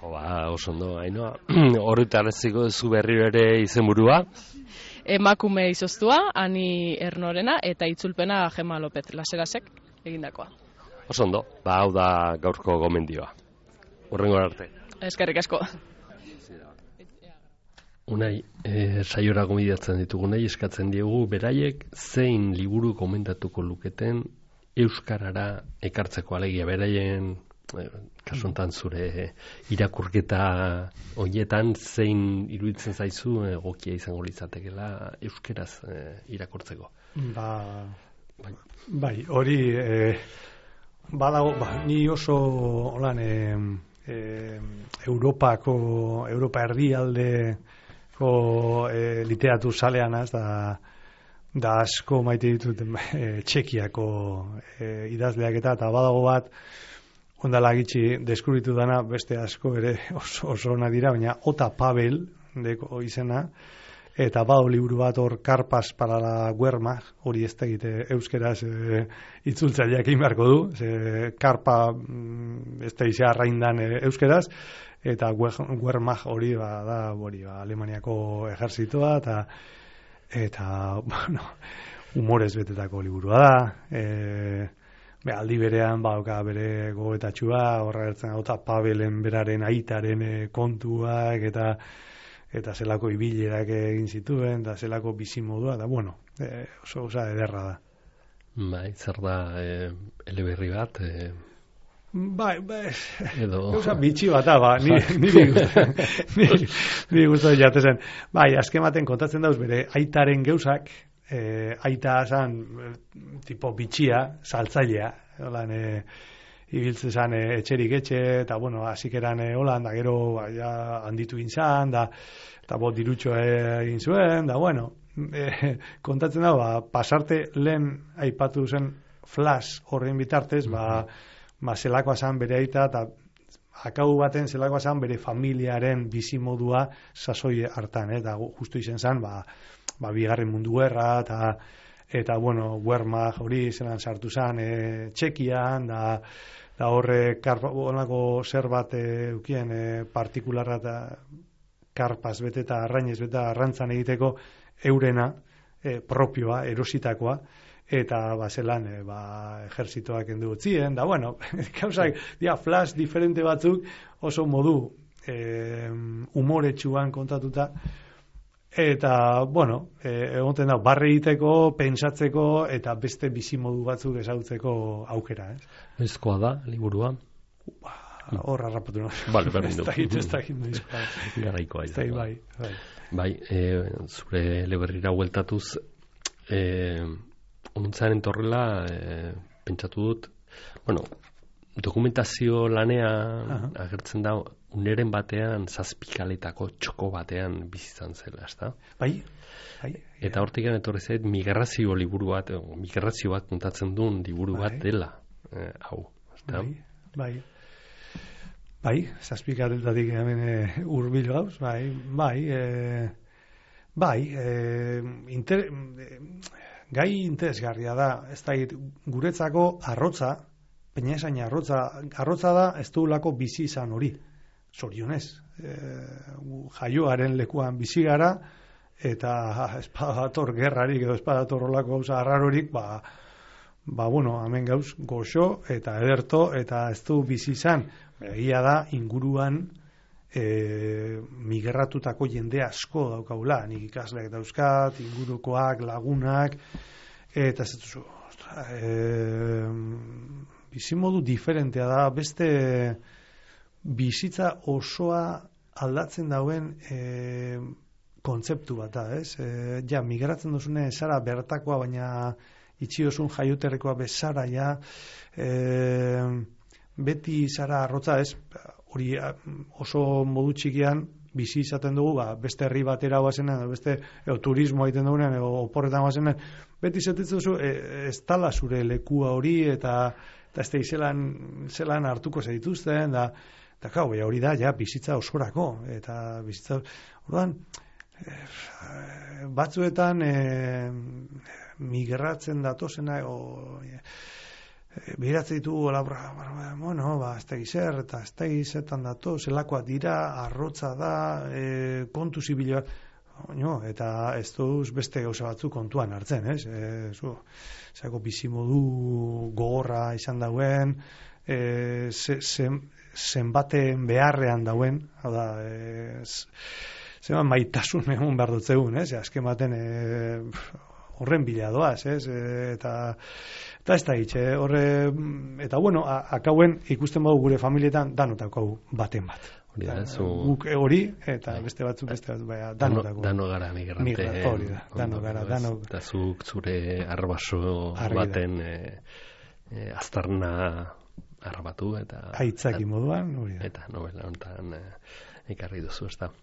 Ba, oso ondo, Ainoa. Horretaraziko duzu berriro ere izenburua? Emakume izoztua, Ani Ernorena, eta itzulpena Gema Lopez Laserasek egindakoa. Oso ondo, ba, hau da gaurko gomendioa. Hurrengo arte. Eskerrik asko. Unai, e, saiora gomidatzen ditugunei eskatzen diegu beraiek zein liburu komentatuko luketen euskarara ekartzeko, alegia beraien kasu honetan zure irakurketa horietan zein iruditzen zaizu egokia izango litzatekeela euskeraz e, irakurtzeko. Ba, bai, bai hori e, badago, ba, ni oso holan e, e, Europako Europa erdialdeko e, literatur salean az, da da asko maite ditut e, Txekiako e, idazleak eta eta badago bat ondala gitxi deskubritu dana, beste asko ere oso, oso ona dira, baina Ota Pavel deko izena, eta badu liburu bat hor Karpas para la Guerma, hori ez da egite euskeraz e, itzultzaileak inbarko du, ze Karpa ez da izia arraindan e, euskeraz, eta Guerma hori ba, da hori, ba, Alemaniako ejerzitoa, eta eta bueno, humorez betetako liburua da, e, Be, aldi berean bauka bere gogoetatxua, horra gertzen Ota Pavelen beraren aitaren e, kontuak eta eta zelako ibilerak egin zituen, eta zelako bizimodua, da bueno, e, oso osa ederra da. Bai, zer da e, eleberri bat? E... Bai, bai, edo... Osa bitxi bat, ba, niri niri guztu jatezen. Bai, azken baten kontatzen dauz bere aitaren geuzak, E, aita zan tipo bitxia, saltzailea, holan e, ibiltze zan e, etxerik etxe, eta bueno, hasik eran e, holan, da gero ba, ja, handitu inzan, da, eta bot dirutxo egin zuen, da bueno, e, kontatzen da, ba, pasarte lehen aipatu zen flash horren bitartez, ba, ba zelakoa zan bere aita, eta akau baten zelakoa zen bere familiaren bizimodua sasoi hartan, eta justu izen zen, ba, ba bigarren mundu gerra, eta, eta bueno, Wehrmacht hori zelan sartu zen, e, Txekian, da, da horre, onako zer bat eukien e, partikularra eta karpaz bete eta arrainez bete arrantzan egiteko eurena, e, propioa, erositakoa, eta bazelan e, ba, ejerzitoak endu utzien, da bueno, gauzak, dia, flash diferente batzuk oso modu e, umoretsuan kontatuta, eta, bueno, e, egoten da, barre egiteko, pentsatzeko, eta beste bizimodu batzuk ezagutzeko aukera, ez? Ezkoa da, liburua? Ba, hor harrapatu nahi. Bale, berdin du. Ez da egin duzkoa. Garaikoa izan. Bai, bai. Bai, e, zure eleberrira hueltatuz, e, onuntzaren torrela, e, pentsatu dut, bueno, dokumentazio lanean uh-huh. agertzen da, uneren batean, zazpikaletako txoko batean bizitzan zela, ezta? Bai, bai. Eta hortik gana etorri zait, migrazio liburu bat, o, migrazio bat kontatzen duen liburu bai. bat dela, e, hau, ezta? Bai, bai. Bai, zazpikaletatik hemen e, urbil gauz, bai, bai, e, bai, e, inter, e, gai interesgarria da, ez da, guretzako arrotza, peina esain arrotza, arrotza da ez duelako bizi izan hori, zorionez, e, jaioaren lekuan bizi gara, eta espadator gerrarik edo espadator olako gauza arrarorik, ba, ba, bueno, hemen gauz goxo eta ederto, eta ez du bizi izan, egia da inguruan e, migratutako jende asko daukagula, nik ikasleak dauzkat, ingurukoak, lagunak, eta ez duzu, e, bizimodu diferentea da, beste bizitza osoa aldatzen dauen e, kontzeptu bat da, ez? E, ja, migratzen duzune zara bertakoa, baina itxiozun jaioterrekoa bezara, ja, e, beti zara arrotza, ez, hori oso modu txikian bizi izaten dugu, ba, beste herri batera guazenean, beste edo, turismo egiten dugunean, edo oporretan guazenean, beti izaten duzu, e, ez tala zure lekua hori, eta eta ez da zelan, zelan hartuko zaituzten, da, da kau, hori da, ja, bizitza osorako, eta bizitza, orduan, e, batzuetan e, migratzen datozena, o, e, behiratzen ditugu, labra, bueno, ba, ez da gizer, eta ez da gizetan dato, zelakoa dira, arrotza da, e, kontu zibilioa, no, eta ez duz beste gauza batzu kontuan hartzen, ez? E, zu, zako bizimodu gogorra izan dauen, e, ze, ze, zenbaten beharrean dauen, hau da, e, zenbat maitasun egun behar dut zegoen, ez? Azken baten, e, horren bila doaz, ez? E, eta eta ez da hitz, eh? horre, eta bueno, akauen ikusten badu gure familietan danotako baten bat. Hori da, zu... Guk hori, eta beste batzuk, beste batzuk, baina danotako. Dano gara migrante. Hori da, dano gara, dano. Eta zuk zure arbaso baten e, e, aztarna arrabatu, eta... Aitzaki moduan, hori da. Eta novela honetan e, ekarri duzu, ez da.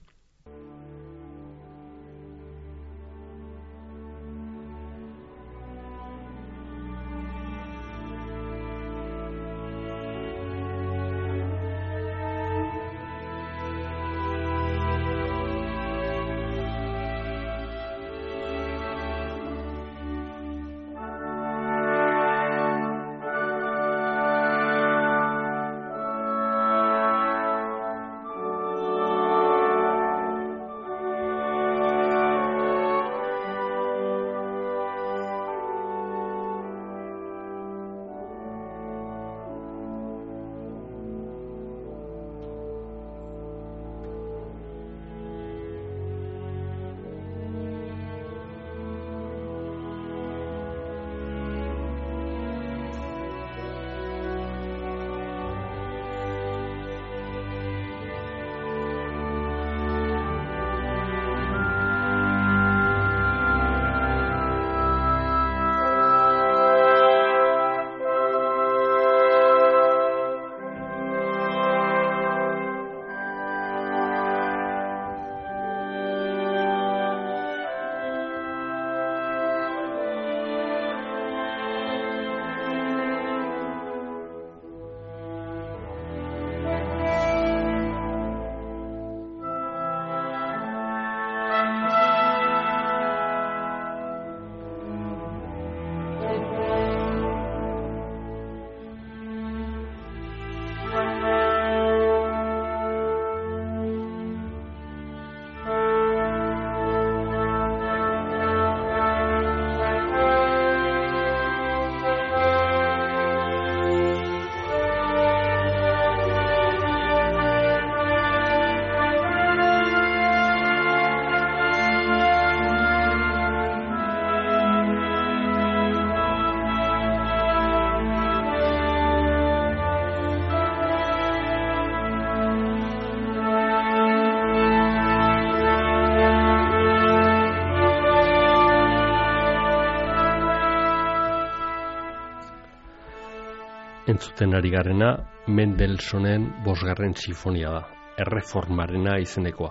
entzuten ari garena Mendelssohnen bosgarren sinfonia da, Erreformarena izenekoa.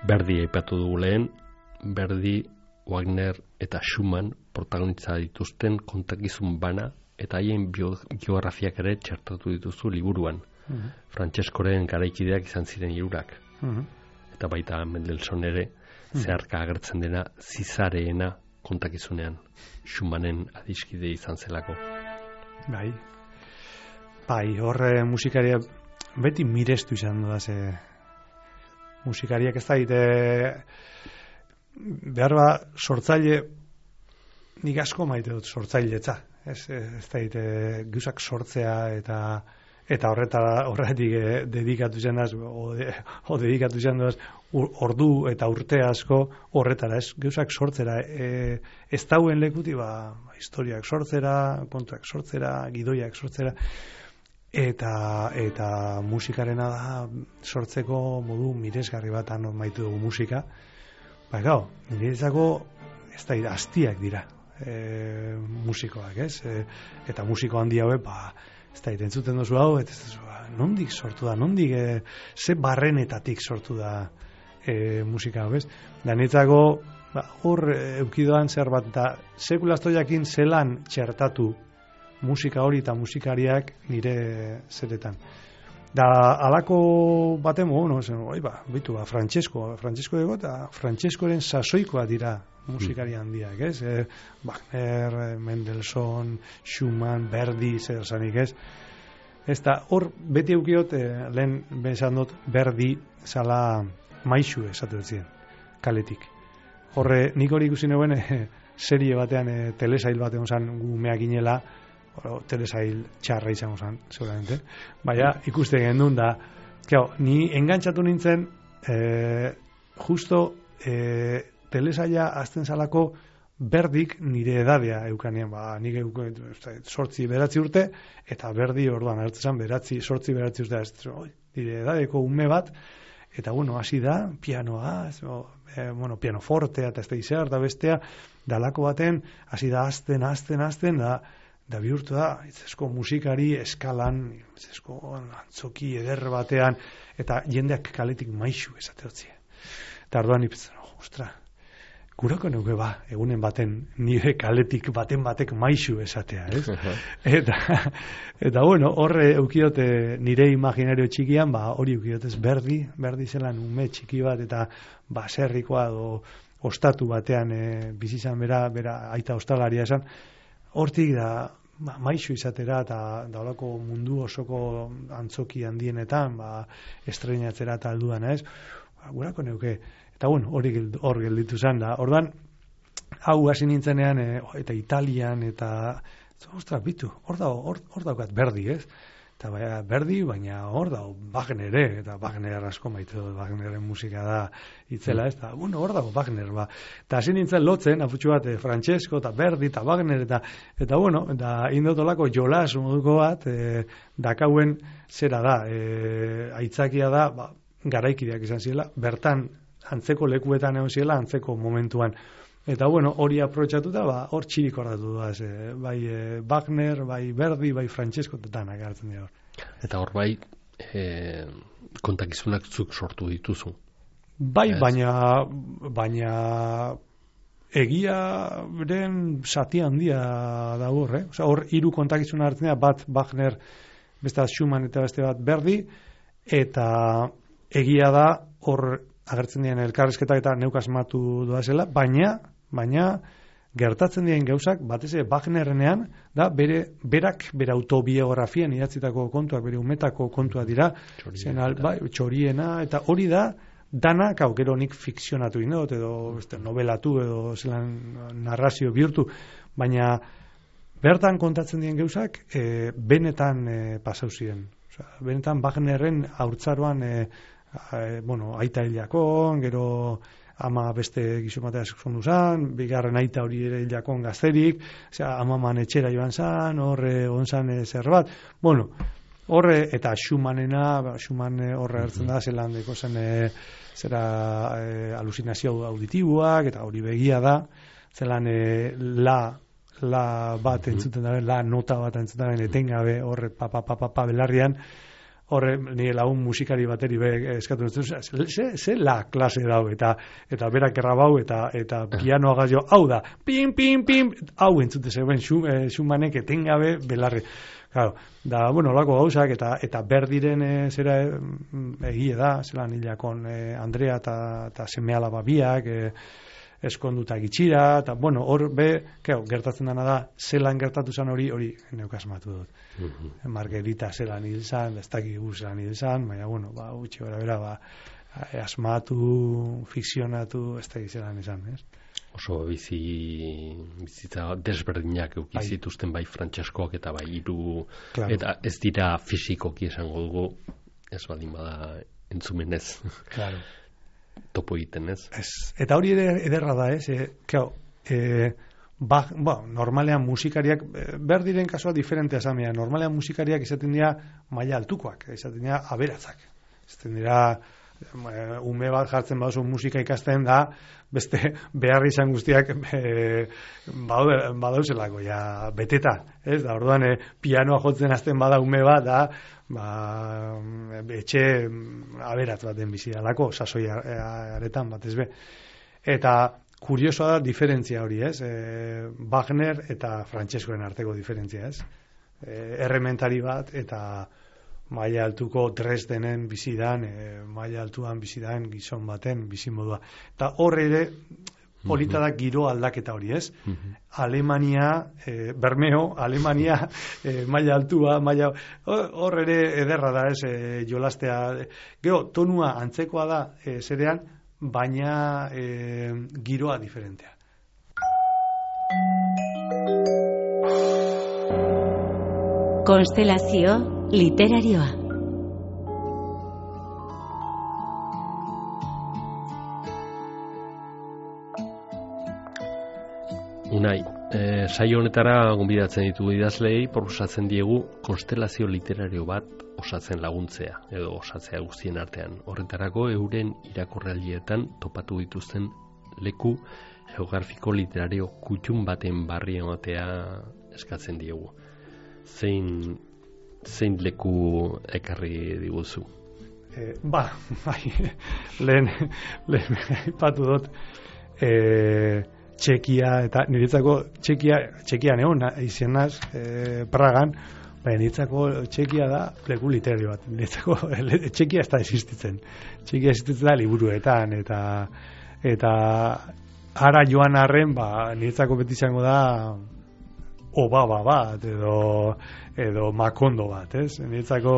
Verdi aipatu dugu lehen, Verdi, Wagner eta Schumann protagonitza dituzten kontakizun bana eta haien biografiak ere txertatu dituzu liburuan. Uh-huh. Frantseskoren garaikideak izan ziren hirurak. Uh-huh. Eta baita Mendelssohn ere uh-huh. zeharka agertzen dena zizareena kontakizunean. Schumannen adiskide izan zelako. Bai. Bai, horre musikaria beti mirestu izan da ze musikariak ez daite behar ba sortzaile nik asko maite dut sortzailetza. Ez, ez daite guzak sortzea eta eta horretara horretik eh, dedikatu izan daz o, de, o dedikatu izan daz ordu eta urte asko horretara, ez guzak sortzera e, ez dauen lekuti ba, historiak sortzera, kontuak sortzera, gidoiak sortzera eta eta musikarena da sortzeko modu miresgarri bat anon maitu dugu musika. Ba, gau, niretzako ez da hastiak dira e, musikoak, ez? E, eta musiko handi hauek, ba, ez da entzuten duzu hau, eta ez da, nondik sortu da, nondik, e, ze barrenetatik sortu da e, musika hau, ez? Da niretzako, ba, hor eukidoan zer bat, eta sekulazto jakin zelan txertatu musika hori eta musikariak nire zeretan. Da, alako baten mogu, no, zen, oi, ba, bitu, ba, Francesco, Francesco dugu, eta Francescoren sasoikoa dira musikari handiak, ez? E, Wagner, Mendelssohn, Schumann, Verdi, zer zanik, ez? Ez da, hor, beti eukiot, e, lehen bezan dut, Verdi zala maixu esatu dut ziren, kaletik. Horre, nik hori ikusi neuen, e, serie batean, e, telesail batean zan, gumeak inela, telesail txarra izango zen, seguramente. Baina, ikuste gendun da, claro, ni engantzatu nintzen, eh, justo eh, telesaila azten zalako Verdik nire edadea eukanean, ba, nik euken sortzi beratzi urte, eta Verdi orduan, hartzen beratzi, sortzi beratzi urte, ez, oi, nire edadeko ume bat, eta bueno, hasi da, pianoa, ez, o, e, bueno, pianofortea, eta ez da izar, da bestea, dalako baten, hasi da azten, azten, azten, da, da bihurtu da, itzesko musikari eskalan, itzesko antzoki eder batean, eta jendeak kaletik maixu esateotzie. Eta arduan ipitzen, oh, ostra, gurako neuke ba, egunen baten nire kaletik baten batek maixu esatea, ez? eta, eta bueno, horre eukiote nire imaginario txikian, ba, hori eukiotez Verdi, Verdi zelan ume txiki bat, eta baserrikoa do ostatu batean e, bizizan bera, bera aita ostalaria esan, hortik da ba, maixu izatera eta daulako mundu osoko antzoki handienetan ba, estreinatzera eta alduan, ez? Ba, gurako neuke. Eta bueno, hori hor gelditu zen da. Ordan hau hasi nintzenean e, eta Italian eta ostras, bitu, hor dago, hor, hor daukat Verdi, ez? Eta baina Verdi, baina hor dago Wagner ere, eta Wagner asko maite dut, Wagneren musika da itzela, ez? Eta, bueno, hor dago Wagner, ba. Eta hasi nintzen lotzen, afutxu bat, Francesco, eta Verdi, eta Wagner, eta, eta bueno, eta indotolako jolas moduko bat, e, dakauen zera da, e, aitzakia da, ba, garaikideak izan ziela, bertan antzeko lekuetan egon ziela, antzeko momentuan. Eta bueno, hori aprobetxatuta, ba, hor txirik ordatu da, ez, bai e, Wagner, bai Verdi, bai Francesco, eta danak hartzen dira hor. Eta hor bai, e, kontakizunak zuk sortu dituzu. Bai, ez? baina, baina egiaren zati handia da hor, eh? Osa, hor hiru kontakizuna hartzen dira, bat Wagner, beste bat Schumann eta beste bat Verdi, eta egia da hor agertzen diren elkarrizketak eta neuk asmatu doazela, baina baina gertatzen diren gauzak batez ere Wagnerrenean da bere berak bere autobiografian idatzitako kontuak, bere umetako kontuak dira, zenal, bai, txoriena, eta hori da dana, hau gero nik fikzionatu indot edo beste novelatu edo zelan narrazio bihurtu, baina bertan kontatzen diren gauzak e, benetan e, pasau ziren. Osea, benetan Wagnerren haurtzaroan e, e, bueno, aita hilakon, gero ama beste gizomatea zondu zan, bigarren aita hori ere hilakon gazterik, osea, amaman etxera joan zan, horre onzan zer bat, bueno, horre, eta Schumannena, Schumann horre hartzen da, zelan deko zen, e, zera e, alusinazio auditiboak, eta hori begia da, zelan e, la, la bat entzuten dabe, la nota bat entzuten dabe, etengabe, horre, pa, pa, pa, pa, pa, belarrian, horre, nire lagun musikari bateri be eskatu dut, ze, ze la klase dau, eta eta berak errabau, eta eta pianoa gazio, hau da, pim, pim, pim, hau entzute zegoen, Schumannek etengabe belarri. Claro, da, bueno, lako gauzak, eta eta berdiren e, zera e, egie da, zelan hilakon e, Andrea eta seme alaba biak, e, eskonduta gitxira, eta, bueno, hor be, keo, gertatzen dana da, zelan gertatu zan hori, hori neukasmatu dut. Mm-hmm. Margarita zelan hil zan, ez dakik gu zelan hil zan, baina, bueno, ba, utxe bera bera, ba, asmatu, fikzionatu, ez dakik zelan izan, ez? Oso bizi bizitza desberdinak eukizituzten bai Frantseskoak eta bai hiru, claro. Eta ez dira fisikoki esango dugu, ez baldin bada entzumenez. Claro. Topo egiten, ez? Ez. Eta hori ere ederra da, ez? E, claro, e, ba, ba, normalean musikariak, behar diren kasua diferentea zamea, normalean musikariak izaten dira maila altukoak, izaten dira aberatzak. Izaten dira ume bat jartzen baduzu musika ikasten da, beste behar izan guztiak e, badauzelako, ja, beteta, ez? Da, orduan, e, pianoa jotzen azten bada ume bat, da, ba, etxe aberatz baten bizi dalako, sasoi aretan bat, ez be. Eta kuriosoa da diferentzia hori, ez? E, Wagner eta Frantseskoen arteko diferentzia, ez? E, errementari bat, eta maila altuko Dresdenen bizidan, e, maila altuan bizidan gizon baten bizimodua. Eta horre ere, polita da giro aldaketa hori, ez? Mm-hmm. Alemania, e, Bermeo, Alemania, e, maila altua, maila... Horre ere ederra da, ez, e, jolastea. Gero, tonua antzekoa da, e, zerean, baina e, giroa diferentea. Konstelazio literarioa. Unai, e, saio honetara gonbidatzen ditugu idazleei, proposatzen diegu konstelazio literario bat osatzen laguntzea, edo osatzea guztien artean. Horretarako euren irakurraldietan topatu dituzten leku geografiko literario kutxun baten barri ematea eskatzen diegu. Zein, zein leku ekarri diguzu? E, ba, bai, lehen, lehen, ipatu dut, e, Txekia, eta niretzako Txekia, Txekia neon, izenaz, e, Pragan, baina niretzako Txekia da leku literario bat. Niretzako Txekia ez da existitzen. Txekia existitzen da liburuetan, eta eta ara joan arren, ba, niretzako beti izango da Obaba bat, edo, edo Makondo bat, ez? Niretzako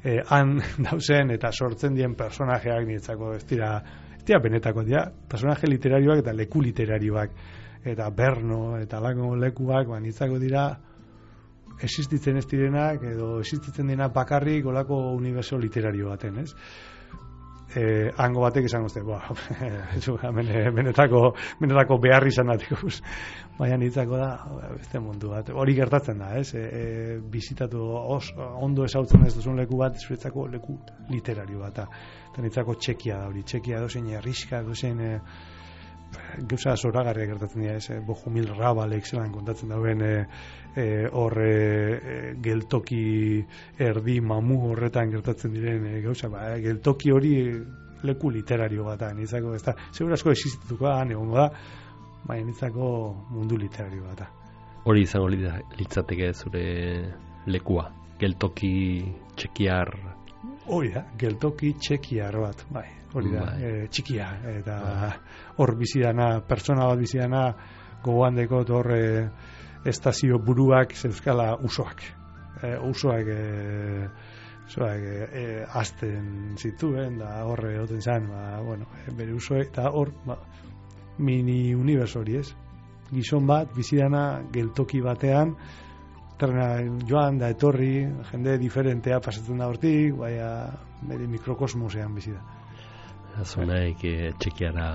eh, han dauzen eta sortzen dien personajeak niretzako ez dira, ez dira benetako dira, personaje literarioak eta leku literarioak, eta Berno, eta lako lekuak, ba, niretzako dira existitzen ez direnak, edo existitzen dira bakarrik olako uniberso literario baten, ez? Eh, hango batek izango zte, ba, benetako, benetako behar izan datiko, baina niretzako da, beste mundu bat, hori gertatzen da, ez? E, e, bizitatu os, ondo ezautzen ez duzun leku bat, zuretzako leku literario bat, eta niretzako Txekia da hori, Txekia dozen erriska, dozen e, gauza zoragarria gertatzen dira, ez? E, Bohumil Rabalek zelan kontatzen dauen e, e, horre e, geltoki erdi mamu horretan gertatzen diren e, gauza, ba, e, geltoki hori leku literario bat, niretzako ez da, segura asko existituko da, egongo da, baina niretzako mundu literario bat. Hori izango litzateke zure lekua, geltoki txekiar. Hori da, geltoki txekiar bat, bai, hori da, bai. E, txikia, eta hor bizidana, pertsona bat bizidana, gogoan dekot hor e, estazio buruak zeuzkala usoak. E, usoak, e, usoak e, e, azten zituen, da horre oten izan, ba, bueno, e, bere usoek, eta hor, ba, mini universo hori, ez? Gizon bat, bizidana, geltoki batean, trena joan da etorri, jende diferentea pasatzen da hortik, baina bere mikrokosmosean bizida. Azunaik txekiara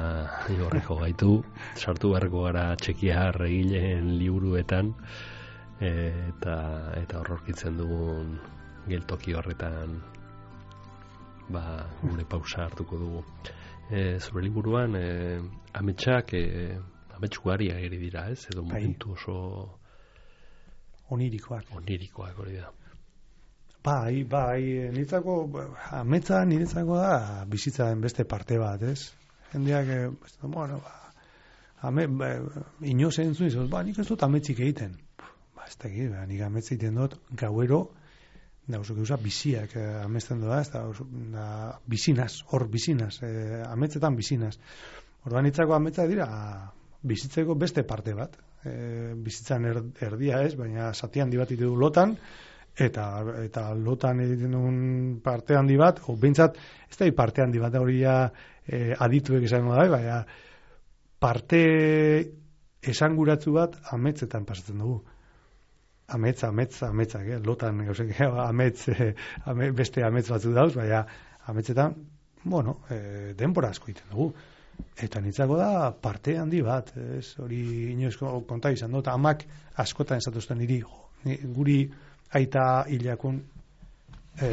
horreko gaitu, sartu beharko gara txekiar egileen liburuetan, e, eta eta horrorkitzen dugun geltoki horretan ba, gure pausa hartuko dugu. E, zure liburuan, e, ametsak e, Amets ugari ageri dira, ez? Edo momentu oso... Onirikoak. Onirikoak hori da. Bai, bai, niretzako, ametsa niretzako da bizitzaren beste parte bat, ez? Jendeak, bueno, ba, ame, ba, inoz entzun izan, ba, nik ez dut ametzik egiten. Ba, ez da egin, ba, nik ametzik egiten dut, gauero, da, oso gauza, biziak eh, amesten doa, ez da, da, bizinaz, hor bizinaz, eh, ametzetan bizinaz. Orduan niretzako ametsa dira, bizitzeko beste parte bat. Eh, bizitzan er, erdia ez, baina zati handi bat ditu lotan, eta eta lotan egiten duen parte handi bat, o behintzat, ez da parte handi bat, hori ja eh, adituek esan da, baina parte esanguratzu bat ametzetan pasatzen dugu. Amets, amets, ametzak, eh? Lotan gauzek, amets, eh, ame, beste amets batzu dauz, baina ametzetan, bueno, eh, denbora asko egiten dugu. Eta nitzako da parte handi bat, ez, hori inoiz konta izan dut, amak askotan esatuzten niri, guri aita hilakun, e,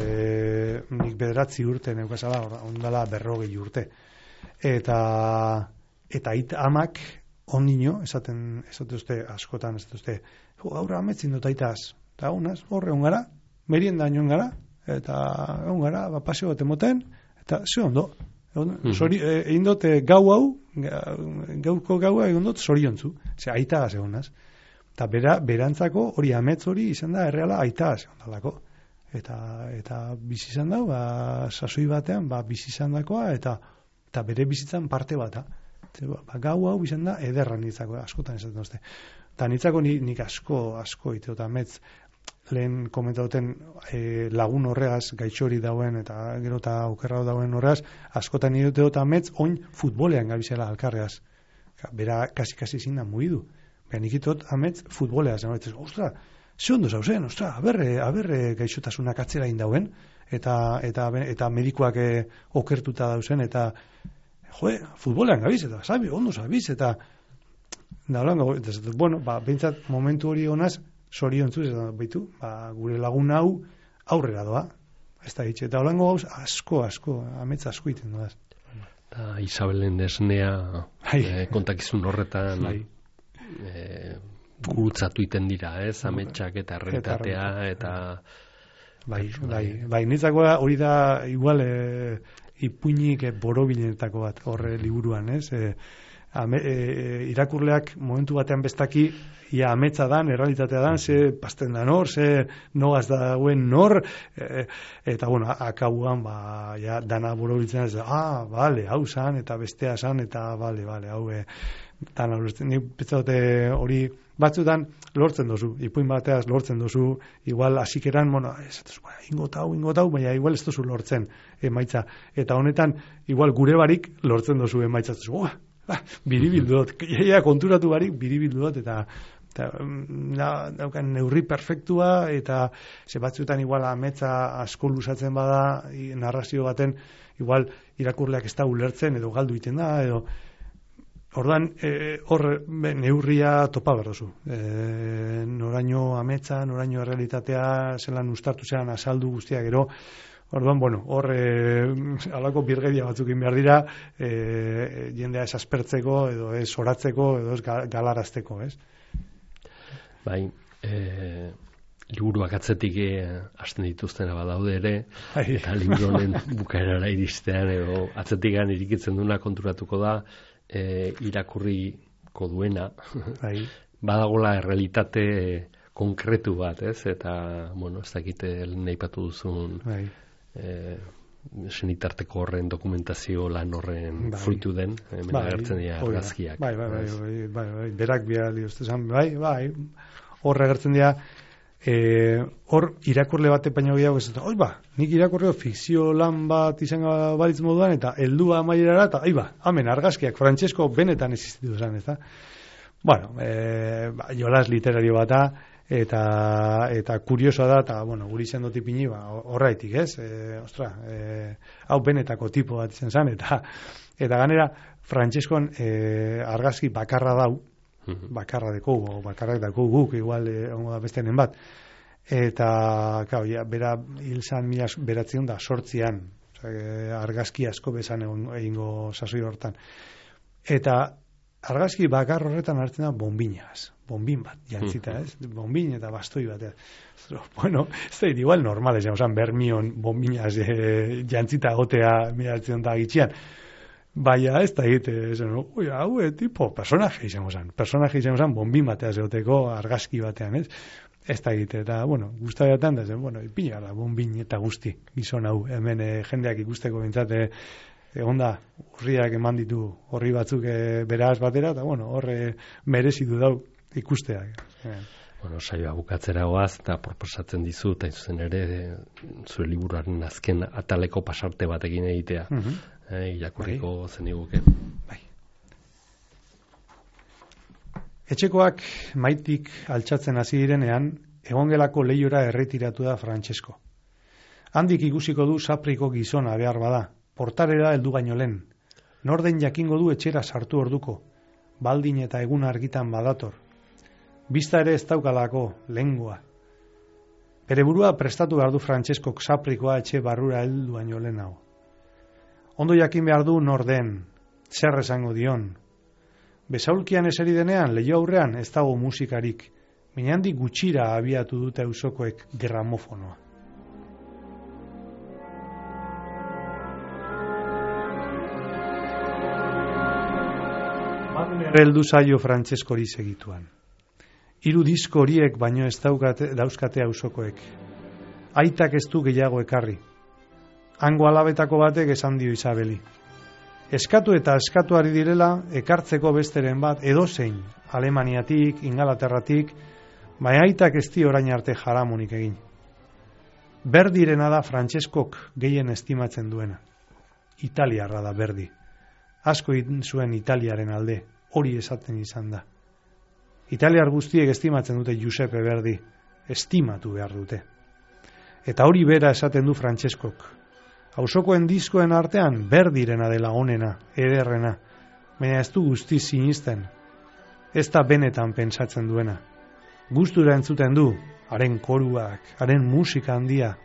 nik bederatzi urte neukazala, ondala berrogei urte. Eta, eta aita amak ondino, esaten, esatuzte askotan, esatuzte, gaur ametzin dut aitaz, eta honaz, horre ongara, merienda inoen gara, eta ongara, ba, paseo bat emoten, eta ze ondo, Sori, egin dut gau hau, gaurko gaua egin dut zoriontzu, ze aita gaz egonaz. Eta bera, berantzako hori ametz hori izan da erreala aita gaz egon dalako. Eta, eta bizi izan da, ba, sasoi batean, ba, bizi izan dakoa, eta, eta bere bizitzan parte bat. Ba, ba, gau hau izan da ederra nitzako, askotan esaten duzte. Eta nitzako nik asko, asko ite, eta ametz, lehen komentauten e, lagun horregaz gaitxori dauen eta gero eta okerra dauen horregaz askotan nire dute dut ametz oin futbolean gabizela alkarregaz. Bera kasi-kasi zin da mugidu. Bera nik itot ametz futboleaz. Ostra, ze ondo zauzen, ostra, aberre, aberre gaixotasunak atzera indauen eta, eta, eta medikoak e, okertuta dauzen eta joe, futbolean gabiz eta sabi, ondo zabiz eta da holango, bueno, ba, behintzat momentu hori honaz zoriontzuz, eta baitu, ba, gure lagun hau aurrera doa. Ez da hitz, eta holango gauz asko, asko, ametz asko iten doaz. Eta Isabelen esnea eh, kontakizun horretan eh, gurutzatu iten dira, ez? Ametsak eta errealitatea, eta... Bai, bai, bai, nitzako hori da, igual, e, ipuinik borobilenetako bat, horre liburuan, ez? E, ame, e, irakurleak momentu batean bestaki, ia ametsa dan, errealitatea dan, ze pasten da nor, ze nogaz dauen nor, e, eta, bueno, akauan, ba, ja, dana borobiltzen, ez, ah, bale, hau zan, eta bestea zan, eta, bale, bale, hau, e, dana, nik petzaute hori, batzutan lortzen dozu, ipuin bateaz lortzen dozu, igual hasikeran, bueno, ez dut, ingotau, ingotau, baina igual ez dozu lortzen emaitza. Eta honetan, igual gure barik lortzen dozu emaitza. Oh, ah, biribildut, ja konturatu barik biribildut, eta, eta na, daukan neurri perfektua, eta ze batzutan igual ametsa asko luzatzen bada, narrazio baten, igual irakurleak ez da ulertzen, edo galdu iten da, edo ordan, e, hor neurria topa berdozu. E, noraino ametsa, noraino errealitatea, zelan ustartu zelan azaldu guztia gero. Orduan, bueno, hor e, alako birgedia batzuk behar dira, e, jendea ez aspertzeko, edo ez oratzeko, edo ez galarazteko, ez? Bai, e, liburuak atzetik e, hasten dituztena badaude ere, Ai. Eta liburu honen bukaerara iristean, edo atzetikan irikitzen duna konturatuko da, E, irakurriko duena bai. Badagola errealitate konkretu bat, ez? Eta, bueno, ez dakite nahipatu duzun bai. e, senitarteko horren dokumentazio lan horren bai. Fruitu den, hemen bai. Agertzen dira argazkiak. Bai, bai, bai, bai, bai, bai, berak bihali ustezan, bai, bai, hor agertzen dira, E, hor irakurle bate baino gehiago ez, oi ba, nik irakurreo fikzio lan bat izan balitz moduan, eta heldua amaierara, eta oi ba, hamen argazkiak Francesco benetan existitu zen, ez da? Bueno, e, ba, jolas literario bata, eta eta kuriosoa da, eta, bueno, guri izan dut ipini, ba, horraitik, ez? E, ostra, e, hau benetako tipo bat izan zen, eta eta ganera, Francescon e, argazki bakarra dau, bakarra deko, bakarrak dako guk, igual ongo da bestenen bat. Eta, kau, ja, bera hil zan mila beratzen da, sortzian, argazki asko bezan egingo sasoi hortan. Eta argazki bakar horretan hartzen da bombinaz, bombin bat, jantzita, ez? Bombin eta bastoi bat. Bueno, ez da, igual normal, ez osan, bermion bombinaz e, jantzita gotea miratzen da gitxian. Baina ez da egite, ui, hau, e, tipo, personaje izango zen, personaje izango zen, bombin batea zeoteko argazki batean, ez? Ez da egite, eta, bueno, guztabetan da zen, bueno, ipina da, bombin eta guzti, gizon hau, hemen e, jendeak ikusteko bintzate, egon da, urriak eman ditu horri batzuk e, beraz batera, eta, bueno, horre merezidu dau ikusteak. E. Bueno, saioa bukatzera goaz, eta proposatzen dizu, eta izuzen ere, e, zure liburuaren azken ataleko pasarte batekin egitea. Uh -huh. e, irakurriko bai. Zen iguke. Bai. Etxekoak maitik altxatzen hasi direnean, egongelako lehiora erretiratu da Francesco. Handik ikusiko du sapriko gizona behar bada, portarera heldu baino lehen. Norden jakingo du etxera sartu orduko, baldin eta egun argitan badator. Bista ere ez daukalako, lengua. Bere burua prestatu behar du Franceskok saprikoa etxe barrura heldu baino lehen hau. Ondo jakin behar du norden, zer esango dion. Besaulkian eseri denean, leio aurrean ez dago musikarik, minandik gutxira abiatu dute auzokoek gramofonoa. Heldu zaio Franceskori segituan. Hiru disko horiek baino ez daukate, dauzkate auzokoek. Aitak ez du gehiago ekarri. Hango alabetako batek esan dio Isabeli. Eskatu eta eskatuari direla ekartzeko besteren bat edozein, Alemaniatik, Ingalaterratik, baina aitak ez di orain arte jaramonik egin. Berdirena da Franceskok gehien estimatzen duena. Italiarra da Berdi. Asko egin zuen Italiaren alde, hori esaten izan da. Italiar guztiek estimatzen dute Giuseppe Verdi, estimatu behar dute. Eta hori bera esaten du Franceskok. Auzokoen diskoen artean Berdirena dela onena, ederrena, baina ez du guzti sinisten. Ez da benetan pentsatzen duena. Gustura entzuten du, haren koruak, haren musika handia,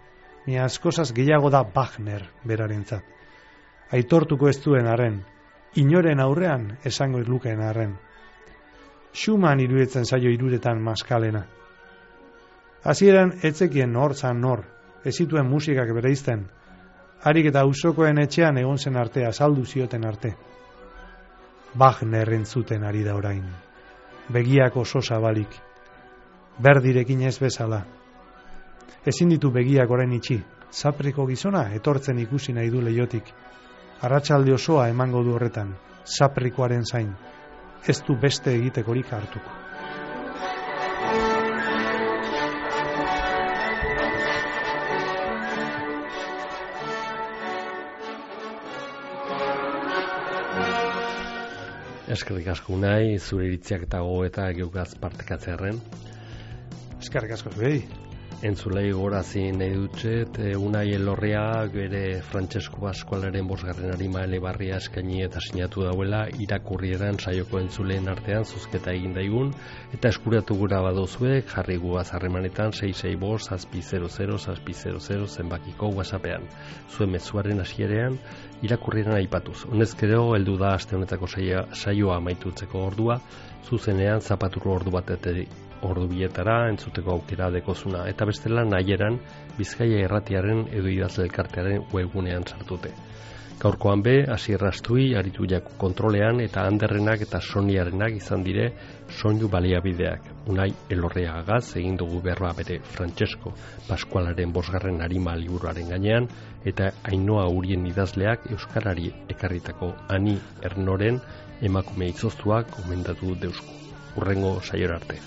baina askozaz gehiago da Wagner berarentzat. Aitortuko ez duen haren, inoren aurrean esango lukeen arren. Schumann iruditzen zaio iruretan maskalena. Hasieran etzekien nor zan nor, ez zituen musikak bereizten, harik eta auzokoen etxean egon zen arte, azaldu zioten arte. Wagner entzuten ari da orain, begiak oso zabalik, Berdirekin ez bezala. Ezin ditu begiak orain itxi, sapriko gizona etortzen ikusi nahi du leiotik. Arratsalde osoa emango du horretan, saprikoaren zain, ez du beste egitekorik hartuko. Eskerrik asko nahi, zure iritziak eta gogoeta geukaz partekatzearen. Eskerrik asko zuei. Entzulei gorazi nahi dutxet, Unai Elorria bere Francesco Pascualaren bosgarren arima elebarria eskaini eta sinatu dauela irakurrieran saioko entzuleen artean zuzketa egin daigun, eta eskuratu gura badozuek jarri guaz harremanetan sei sei bost zazpi zero zero zazpi zero zero zenbakiko whatsappean. Zuen mezuaren hasierean irakurrieran aipatuz. Honezkero heldu da aste honetako saioa amaitutzeko ordua, zuzenean zapaturo ordu bateteri ordu bietara entzuteko aukera dekozuna, eta bestela nahieran Bizkaia Irratiaren edo Idazle Elkartearen webgunean sartute. Gaurkoan be, Asier Astui aritu jaku kontrolean eta Anderrenak eta Soniarenak izan dire soinu baliabideak. Unai Elorriagagaz egin dugu berroa bere Francesco Pascualaren bosgarren arima liburuaren gainean, eta Ainhoa Urien idazleak euskarari ekarritako Ani Ernoren emakume izoztuak gomendatu deusku. Urrengo saiora arte.